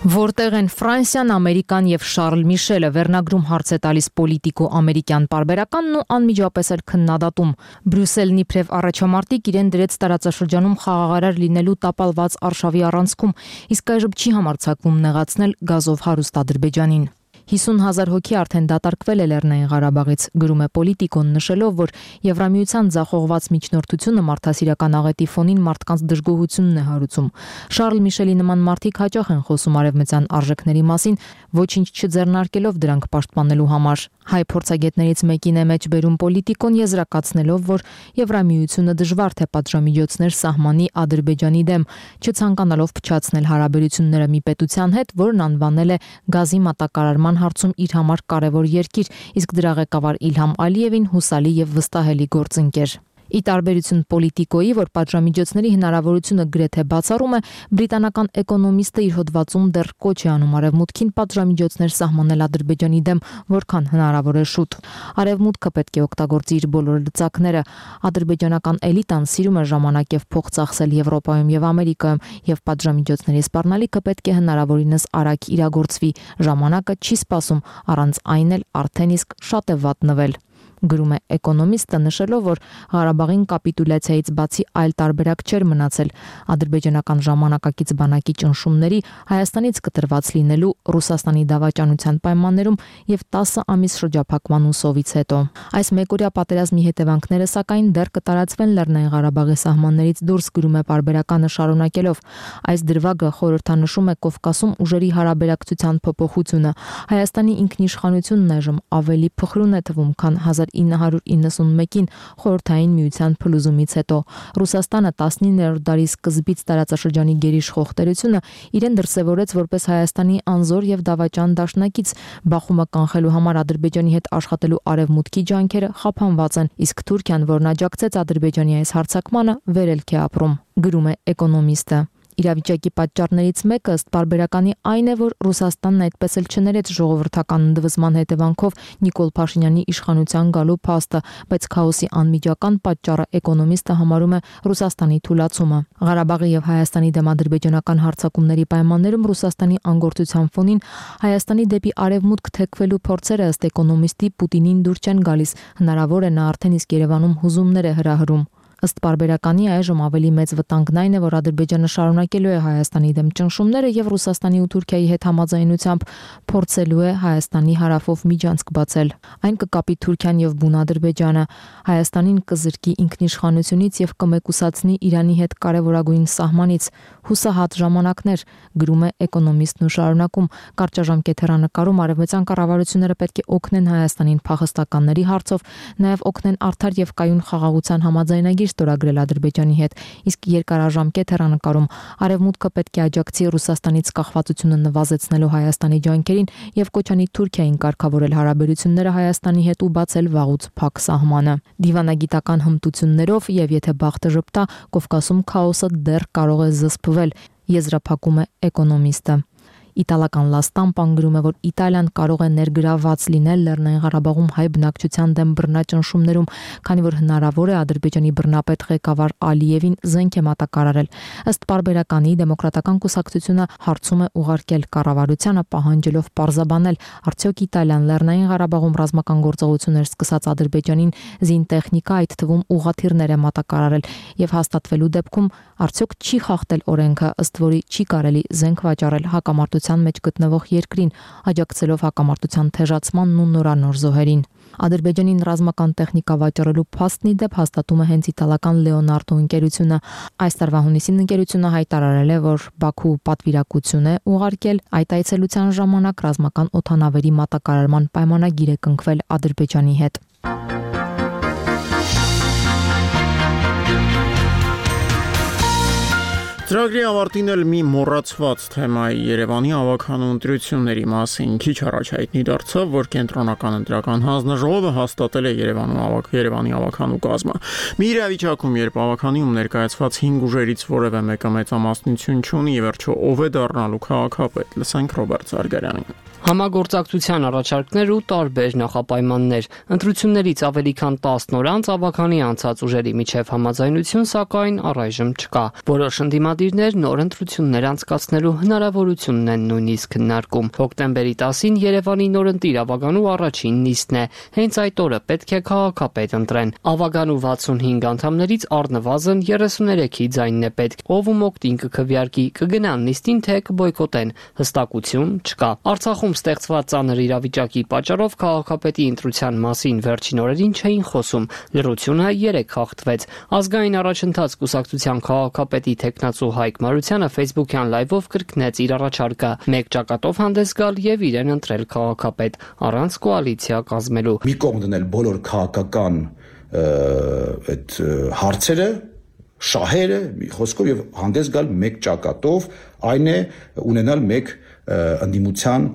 Որտեղ են Ֆրանսիան, Ամերիկան եւ Շարլ Միշելը, վերնագրում հարց է տալիս պոլիտիկո ամերիկյան պարբերականն ու անմիջապես էլ քննադատում։ Բրյուսելն իբրև առաջամարտիկ իրեն դրեց տարածաշրջանում խաղաղարար լինելու տապալված արշավի առանցքում, իսկ այժմ չի համարձակվում նեղացնել գազով հարուստ Ադրբեջանին։ հիսուն հազար հոգի արդեն դատարկվել է Լեռնային Ղարաբաղից, գրում է Պոլիտիկոն, նշելով, որ Եվրամիության ձախողված միջնորդությունը մարդասիրական աղետի ֆոնին մարդկանց դժգոհությունն է հարուցում։ Շարլ Միշելի նման մարդիկ հաճախ են խոսում արևմտյան արժեքների մասին, ոչինչ չձեռնարկելով դրանք պաշտպանելու համար։ Հայ փորձագետներից մեկին է մեջ բերում Պոլիտիկոն, եզրակացնելով, որ Եվրամիությունը դժվար թե պատժամիջոցներ սահմանի Ադրբեջանի դեմ, չցանկանալով փչացնել հարաբերությունները մի պետության հետ, որն անվանել է գազի մատակարարման հարցում իր համար կարևոր երկիր, իսկ դրա ղեկավար Իլհամ Ալիևին հուսալի եւ վստահելի գործընկեր։ Ի տարբերություն Պոլիտիկոյի, որ պատժամիջոցների հնարավորությունը գրեթե բացառում է, բրիտանական էկոնոմիստը իր հոդվածում դեռ կոչ է անում արևմուտքին պատժամիջոցներ սահմանել Ադրբեջանի դեմ, որքան հնարավոր է շուտ։ Արևմուտքը պետք է օգտագործի իր բոլոր լծակները։ Ադրբեջանական էլիտան սիրում է ժամանակ եւ փող ծախսել Եվրոպայում եւ Ամերիկայում, եւ պատժամիջոցների սպառնալիքը պետք է հնարավորինս արագ իրագործվի։ Ժամանակը չի սպասում, առանց այն էլ արդեն իսկ շատ է վատնվել։ Գրում է էկոնոմիստը, նշելով, որ Ղարաբաղին կապիտուլյացիայից բացի այլ տարբերակ չէր մնացել ադրբեջանական ժամանակակից բանակի ճնշումների, Հայաստանից կտրված լինելու, Ռուսաստանի դավաճանության պայմաններում եւ տասը ամիս շրջափակման ուսովից հետո։ Այս մեկօրյա պատերազմի հետևանքները սակայն դեռ կտարածվեն Լեռնային Ղարաբաղի սահմաններից դուրս, գրում է պարբերականը շարունակելով։ Այս դրվագը խորհրդանշում է Կովկասում ուժերի հարաբերակցության փոփոխությունը։ Հայաստանի ինքնիշխանությունն այժմ ավելի փխրուն է թվում, քան հազար ինը հարյուր իննսունմեկին խորհրդային միության փլուզումից հետո։ Ռուսաստանը տասնիններորդ դարի սկզբից տարածաշրջանի գերիշխող տերությունը իրեն դրսևորեց որպես Հայաստանի անզոր եւ դավաճան դաշնակից։ Բախումը կանխելու համար Ադրբեջանի հետ աշխատելու արևմուտքի ջանքերը խափանված են, իսկ Թուրքիան, որն աջակցեց Ադրբեջանի այս հարձակմանը, վերելք է ապրում, գրում է էկոնոմիստը։ Իրավիճակի պատճառներից մեկը ըստ պարբերականի այն է, որ Ռուսաստանն այդպես էլ չներեց ժողովրդական ընդվզման հետևանքով Նիկոլ Փաշինյանի իշխանության գալու փաստը, բայց քաոսի անմիջական պատճառը էկոնոմիստը համարում է Ռուսաստանի թուլացումը։ Ղարաբաղի եւ Հայաստանի դեմ ադրբեջանական հարձակումների պայմաններում Ռուսաստանի անգործության ֆոնին Հայաստանի դեպի արևմուտք թեքվելու փորձերը ըստ էկոնոմիստի Պուտինին դուր չեն գալիս, հնարավոր է նա արդեն իսկ Երևանում հուզումներ է հրահրում։ Ըստ պարբերականի այժմ ավելի մեծ վտանգն այն է, որ Ադրբեջանը շարունակելու է Հայաստանի դեմ ճնշումները եւ Ռուսաստանի ու Թուրքիայի հետ համաձայնությամբ փորձելու է Հայաստանի հարավով միջանցք բացել։ Այն կկապի Թուրքիան եւ բուն Ադրբեջանը, Հայաստանին կզրկի ինքնիշխանությունից եւ կմեկուսացնի Իրանի հետ կարեւորագույն սահմանից։ Հուսահատ ժամանակներ, գրում է էկոնոմիստն ու շարունակում, կարճաժամկետ հեռանկարում արևմտյան կառավարությունները պետք է օգնեն Հայաստանին փախստականների հարցով, նաեւ օգնեն արդար եւ կայուն խաղաղության համաձայնագիր ստորագրել Ադրբեջանի հետ, իսկ երկարաժամկետ հեռանկարում արևմուտքը պետք է աջակցի Ռուսաստանից կախվածությունը նվազեցնելու Հայաստանի ջանքերին եւ կոչանի Թուրքիային կարգավորել հարաբերությունները Հայաստանի հետ ու բացել վաղուց փակ սահմանը։ Դիվանագիտական հմտություններով եւ եթե բախտը ժպտա, Կովկասում քաոսը դեռ կարող է զսպվել, եզրափակում է էկոնոմիստը։ Իտալական La Stampa-ն գրում է, որ Իտալիան կարող է ներգրավված լինել Լեռնային Ղարաբաղում հայ բնակչության դեմ բռնաճնշումներում, քանի որ հնարավոր է Ադրբեջանի բռնապետ ղեկավար Ալիևին զենք է մատակարարել։ Ըստ պարբերականի դեմոկրատական կուսակցությունը հարցում է ուղարկել կառավարությանը, պահանջելով պարզաբանել, արդյոք Իտալիան Լեռնային Ղարաբաղում ռազմական գործողություններ սկսած Ադրբեջանին զինտեխնիկա, այդ թվում ուղղաթիռներ է մատակարարել, եւ հաստատվելու դեպքում արդյոք չի խախտել օրենքը, ըստ որի չի կարելի զենք վաճառել հակամարտության մեջ գտնվող երկրին, աջակցելով հակամարտության թեժացմանն ու նորանոր զոհերին։ Ադրբեջանին ռազմական տեխնիկա վաճառելու փաստն ի դեպ հաստատում է հենց իտալական Leonardo ընկերությունը։ Այս տարվա հունիսին ընկերությունը հայտարարել է, որ Բաքու պատվիրակություն է ուղարկել այդ այցելության ժամանակ ռազմական օդանավերի մատակարարման պայմանագիր է կնքվել Ադրբեջանի հետ։ Ծրագրի ավարտին էլ մի մոռացված թեմայի Երևանի ավագանու ընտրությունների մասին քիչ առաջ հայտնի դարձավ, որ կենտրոնական ընտրական հանձնաժողովը հաստատել է Երևանում ավագ Երևանի ավագանու կազմը։ Մի իրավիճակում, երբ ավագանիում ներկայացված հինգ ուժերից որևէ մեկը մեծամասնություն չունի, ի վերջո ով է դառնալու քաղաքապետ, լսենք Ռոբերտ Զարգարյանին։ Համագործակցության առաջարկներ ու տարբեր նախապայմաններ։ Ընտրություններից ավելի քան տասն օր անց ավագանի անցած ուժերի միջև համաձայնություն, սակայն առայժմ չկա։ Որոշ ընդդիմադիրներ նոր ընտրություններ անցկացնելու հնարավորությունն են նույնիսկ քննարկում։ Հոկտեմբերի տասին Երևանի նորընտիր ավագանու առաջին նիստն է։ Հենց այդ օրը պետք է քաղաքապետ ընտրեն։ Ավագանու վաթսունհինգ անդամներից առնվազն երեսուներեքի ձայնն է պետք։ Ով ու մոկտին կքվեարկի, կգնան նիստին, թե կբոյկոտեն։ Հստակություն չկա։ Արցախում ստեղծված ծանր իրավիճակի պատճառով քաղաքապետի ընտրության մասին վերջին օրերին չէին խոսում։ Լռությունը երեք խախտվեց։ Ազգային առաջընթաց կուսակցության քաղաքապետի տեխնացու Հայկ Մարությանը Facebook-յան լայվով կրկնեց իր առաջարկը՝ մեկ ճակատով հանդես գալ եւ իրեն ընտրել քաղաքապետ առանց կոալիցիա կազմելու։ Մի կողմ դնել բոլոր քաղաքական այդ հարցերը, շահերը, խոսքով եւ հանդես գալ մեկ ճակատով, այն է ունենալ մեկ ընդդիմության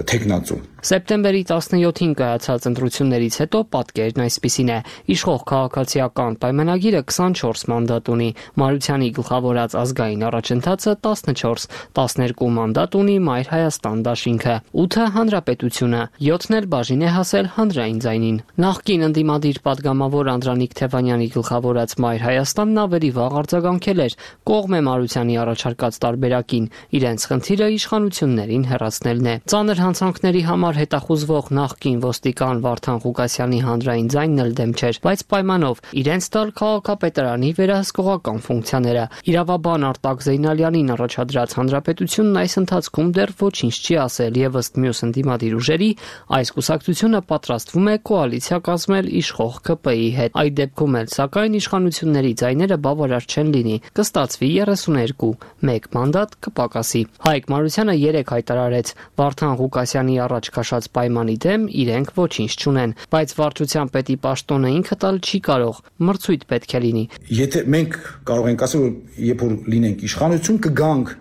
տեխնացու։ Սեպտեմբերի տասնյոթին կայացած ընտրություններից հետո պատկերն այսպիսին է։ Իշխող քաղաքացիական պայմանագիրը քսանչորս մանդատ ունի։ Մարությանի գլխավորած ազգային առաջընթացը տասնչորս, տասներկու մանդատ ունի Մայր Հայաստան դաշինքը, ութը հանրապետությունը, յոթն էլ բաժին է հասել հանրային ձայնին։ Նախկին ընդդիմադիր падգամավոր Անդրանիկ Թևանյանի գլխավորած Մայր Հայաստանն ավելի վաղ արձագանքել էր, կողմ է Մարությանի առաջարկած տարբերակին, իրենց խնդիրը իշխանություններին հեռացնելն է։ Ծանր հանցանքների համար հետախուզվող նախկին ոստիկան Վարդան Ղուկասյանի հանրային ձայնն էլ դեմ չէր, բայց պայմանով իրենց տալ քաղաքապետարանի վերահսկողական ֆունկցիաները։ Իրավաբան Արտակ Զեյնալյանին առաջադրած հանրապետությունն այս ընթացքում դեռ ոչինչ չի ասել եւ ըստ մյուս ընդդիմադիր ուժերի այս կուսակցությունը պատրաստվում է կոալիցիա կազմել իշխող K P I-ի հետ։ Այդ դեպքում էլ սակայն իշխանությունների ձայները բավարար չեն լինի, կստացվի երեսուներկու, մեկ մանդատ կպակասի։ Հայկ Մարությանը երեք հայտարարեց, Վարդան Ղուկասյանի առաջ քաշած պայմանի դեմ իրենք ոչինչ չունեն, բայց վարչության պետի պաշտոնը ինքը տալ չի կարող, մրցույթ պետք է լինի։ Եթե մենք կարող ենք ասել, որ երբ որ լինենք իշխանություն, կգանք,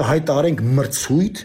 կհայտարարենք մրցույթ,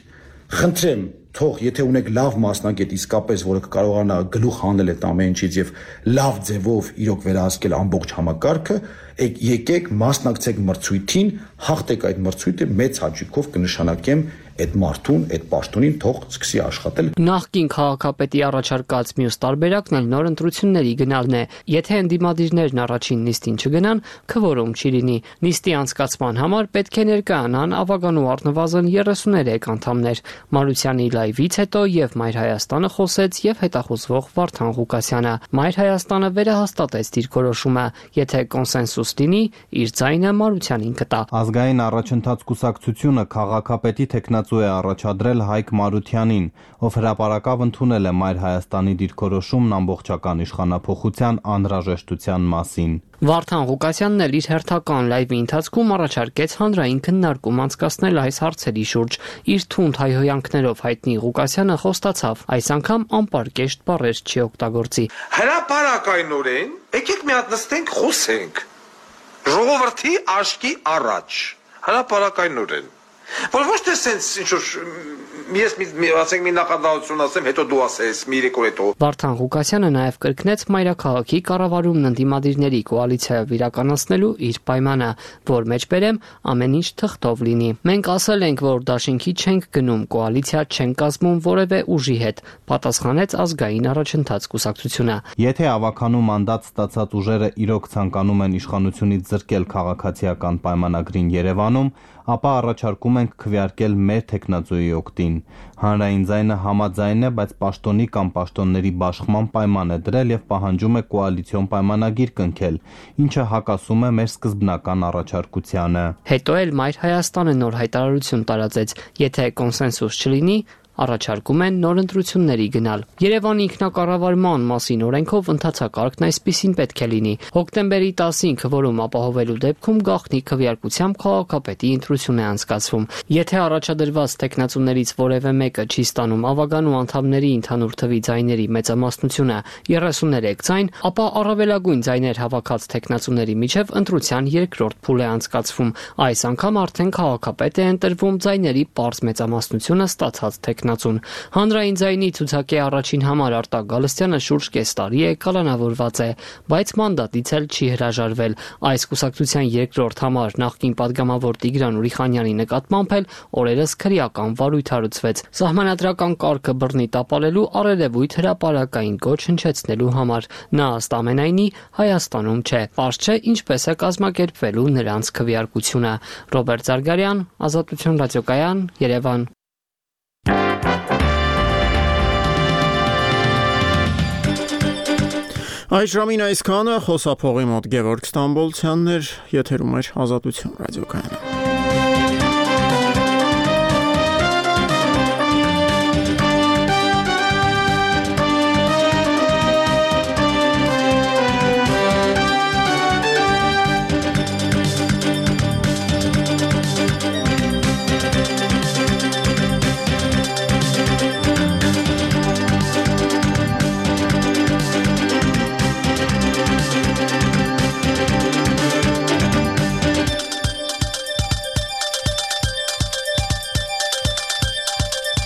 խնդրեմ, թող եթե ունեք լավ մասնագետ իսկապես, որը կկարողանա գլուխ հանել այդ ամեն ինչից եւ լավ ձևով իրոք վերահսկել ամբողջ համակարգը, եկեք մասնակցեք մրցույթին, հաղթեք այդ մրցույթը, մեծ հաճույքով կնշանակեմ այդ մարդուն, այդ պաշտոնին թող սկսի աշխատել։ Նախկին քաղաքապետի առաջարկած մյուս տարբերակն էլ նոր ընտրությունների գնալն է։ Եթե ընդդիմադիրներն առաջին նիստին չգնան, քվորում չի լինի։ Նիստի անցկացման համար պետք է ներկայանան ավագանու առնվազն երեսուներեք անդամներ։ Մարությանի լայվից հետո եւ Մայր Հայաստանը խոսեց եւ հետախուզվող Վարդան Ղուկասյանը։ Մայր Հայաստանը վերահաստատեց դիրքորոշումը, եթե կոնսենսուս լինի, իր ձայնը Մարությանին կտա։ Ազգային առաջընթաց կուսակցությունը քաղաքապետի տեխնացու է առաջադրել Հայկ Մարությանին, ով հրապարակավ ընդունել է Մայր Հայաստանի դիրքորոշումն ամբողջական իշխանափոխության անհրաժեշտության մասին։ Վարդան Ղուկասյանն էլ իր հերթական լայվի ընթացքում առաջարկեց հանրային քննարկում անցկացնել այս հարցերի շուրջ։ Իր թունդ հայհոյանքներով հայտնի Ղուկասյանը խոստացավ, այս անգամ անպարկեշտ բառեր չի օգտագործի։ Հրապարակայնորեն եկեք մի հատ նստենք, խոսենք։ Ժողովրդի աչքի առաջ։ Հրապարակայնորեն։ Որ ոչ թե sense ինչ որ ես մի ասենք մի նախադասություն ասեմ, հետո դու ասես, մի երեք օր հետո։ Վարդան Ղուկասյանը նաև կրկնեց մայրաքաղաքի կառավարումն ընդդիմադիրների կոալիցիայով իրականացնելու իր պայմանը, որ մեջբերեմ ամեն ինչ թղթով լինի։ Մենք ասել ենք, որ դաշինքի չենք գնում, կոալիցիա չենք կազմում որևէ ուժի հետ, պատասխանեց ազգային առաջընթաց կուսակցությունը։ Եթե ավականու մանդատ ստացած ուժերը իրոք ցանկանում են իշխանությունից զրկել քաղաքացիական պայմանագրին Երևանում, ապա առաջարկում ենք քվեարկել մեր տեխնազոյի օգտին։ Հանրային ձայնը համաձայն է, բայց պաշտոնի կամ պաշտոնների բաշխման պայման է դրել եւ պահանջում է կոալիցիոն պայմանագիր կնքել, ինչը հակասում է մեր սկզբնական առաջարկությանը։ Հետո էլ Մայր Հայաստանը նոր հայտարարություն տարածեց, եթե կոնսենսուս չլինի, առաջարկում են նոր ընտրությունների գնալ։ Երևանի ինքնակառավարման մասին օրենքով ընթացակարգն այսպիսին պետք է լինի։ Հոկտեմբերի տասին քվորում ապահովելու դեպքում գաղտնի քվեարկությամբ քաղաքապետի ընտրություն է անցկացվում։ Եթե առաջադրված տեխնացուներից որևէ մեկը չի ստանում ավականու անդամների ընդհանուր թվի ձայների մեծամասնությունը երեսուներեք ձայն, ապա առավելագույն ձայներ հավաքած տեխնացուների միջև ընտրության երկրորդ փուլ է անցկացվում։ Այս անգամ արդեն քաղաքապետ է ընտրվում ձայների պարզ մեծամասնությունը ստացած տեխնացու Հանրային ձայնի ցուցակի առաջին համար Արտակ Գալստյանը շուրջ կես տարի է կալանավորված է, բայց մանդատից էլ չի հրաժարվել։ Այս կուսակցության երկրորդ համար նախկին падգամավոր Տիգրան Ուրիխանյանի նկատմամբ էլ օրերս քրեական վարույթ հարուցվեց սահմանադրական կարգը բռնի տապալելու առերևույթ հրապարակային գոչ հնչեցնելու համար։ Նա ըստ ամենայնի Հայաստանում չէ։ Պարզ չէ ինչպես է կազմակերպվելու նրանց քվեարկությունը։ Ռոբերտ Զարգարյան, Ազատություն ռադիոկայան, Երևան։ Այս ժամին այսքանը, խոսափողի մոտ Գևորգ Ստամբոլցյանն էր, եթերում էր Ազատություն ռադիոկայանը։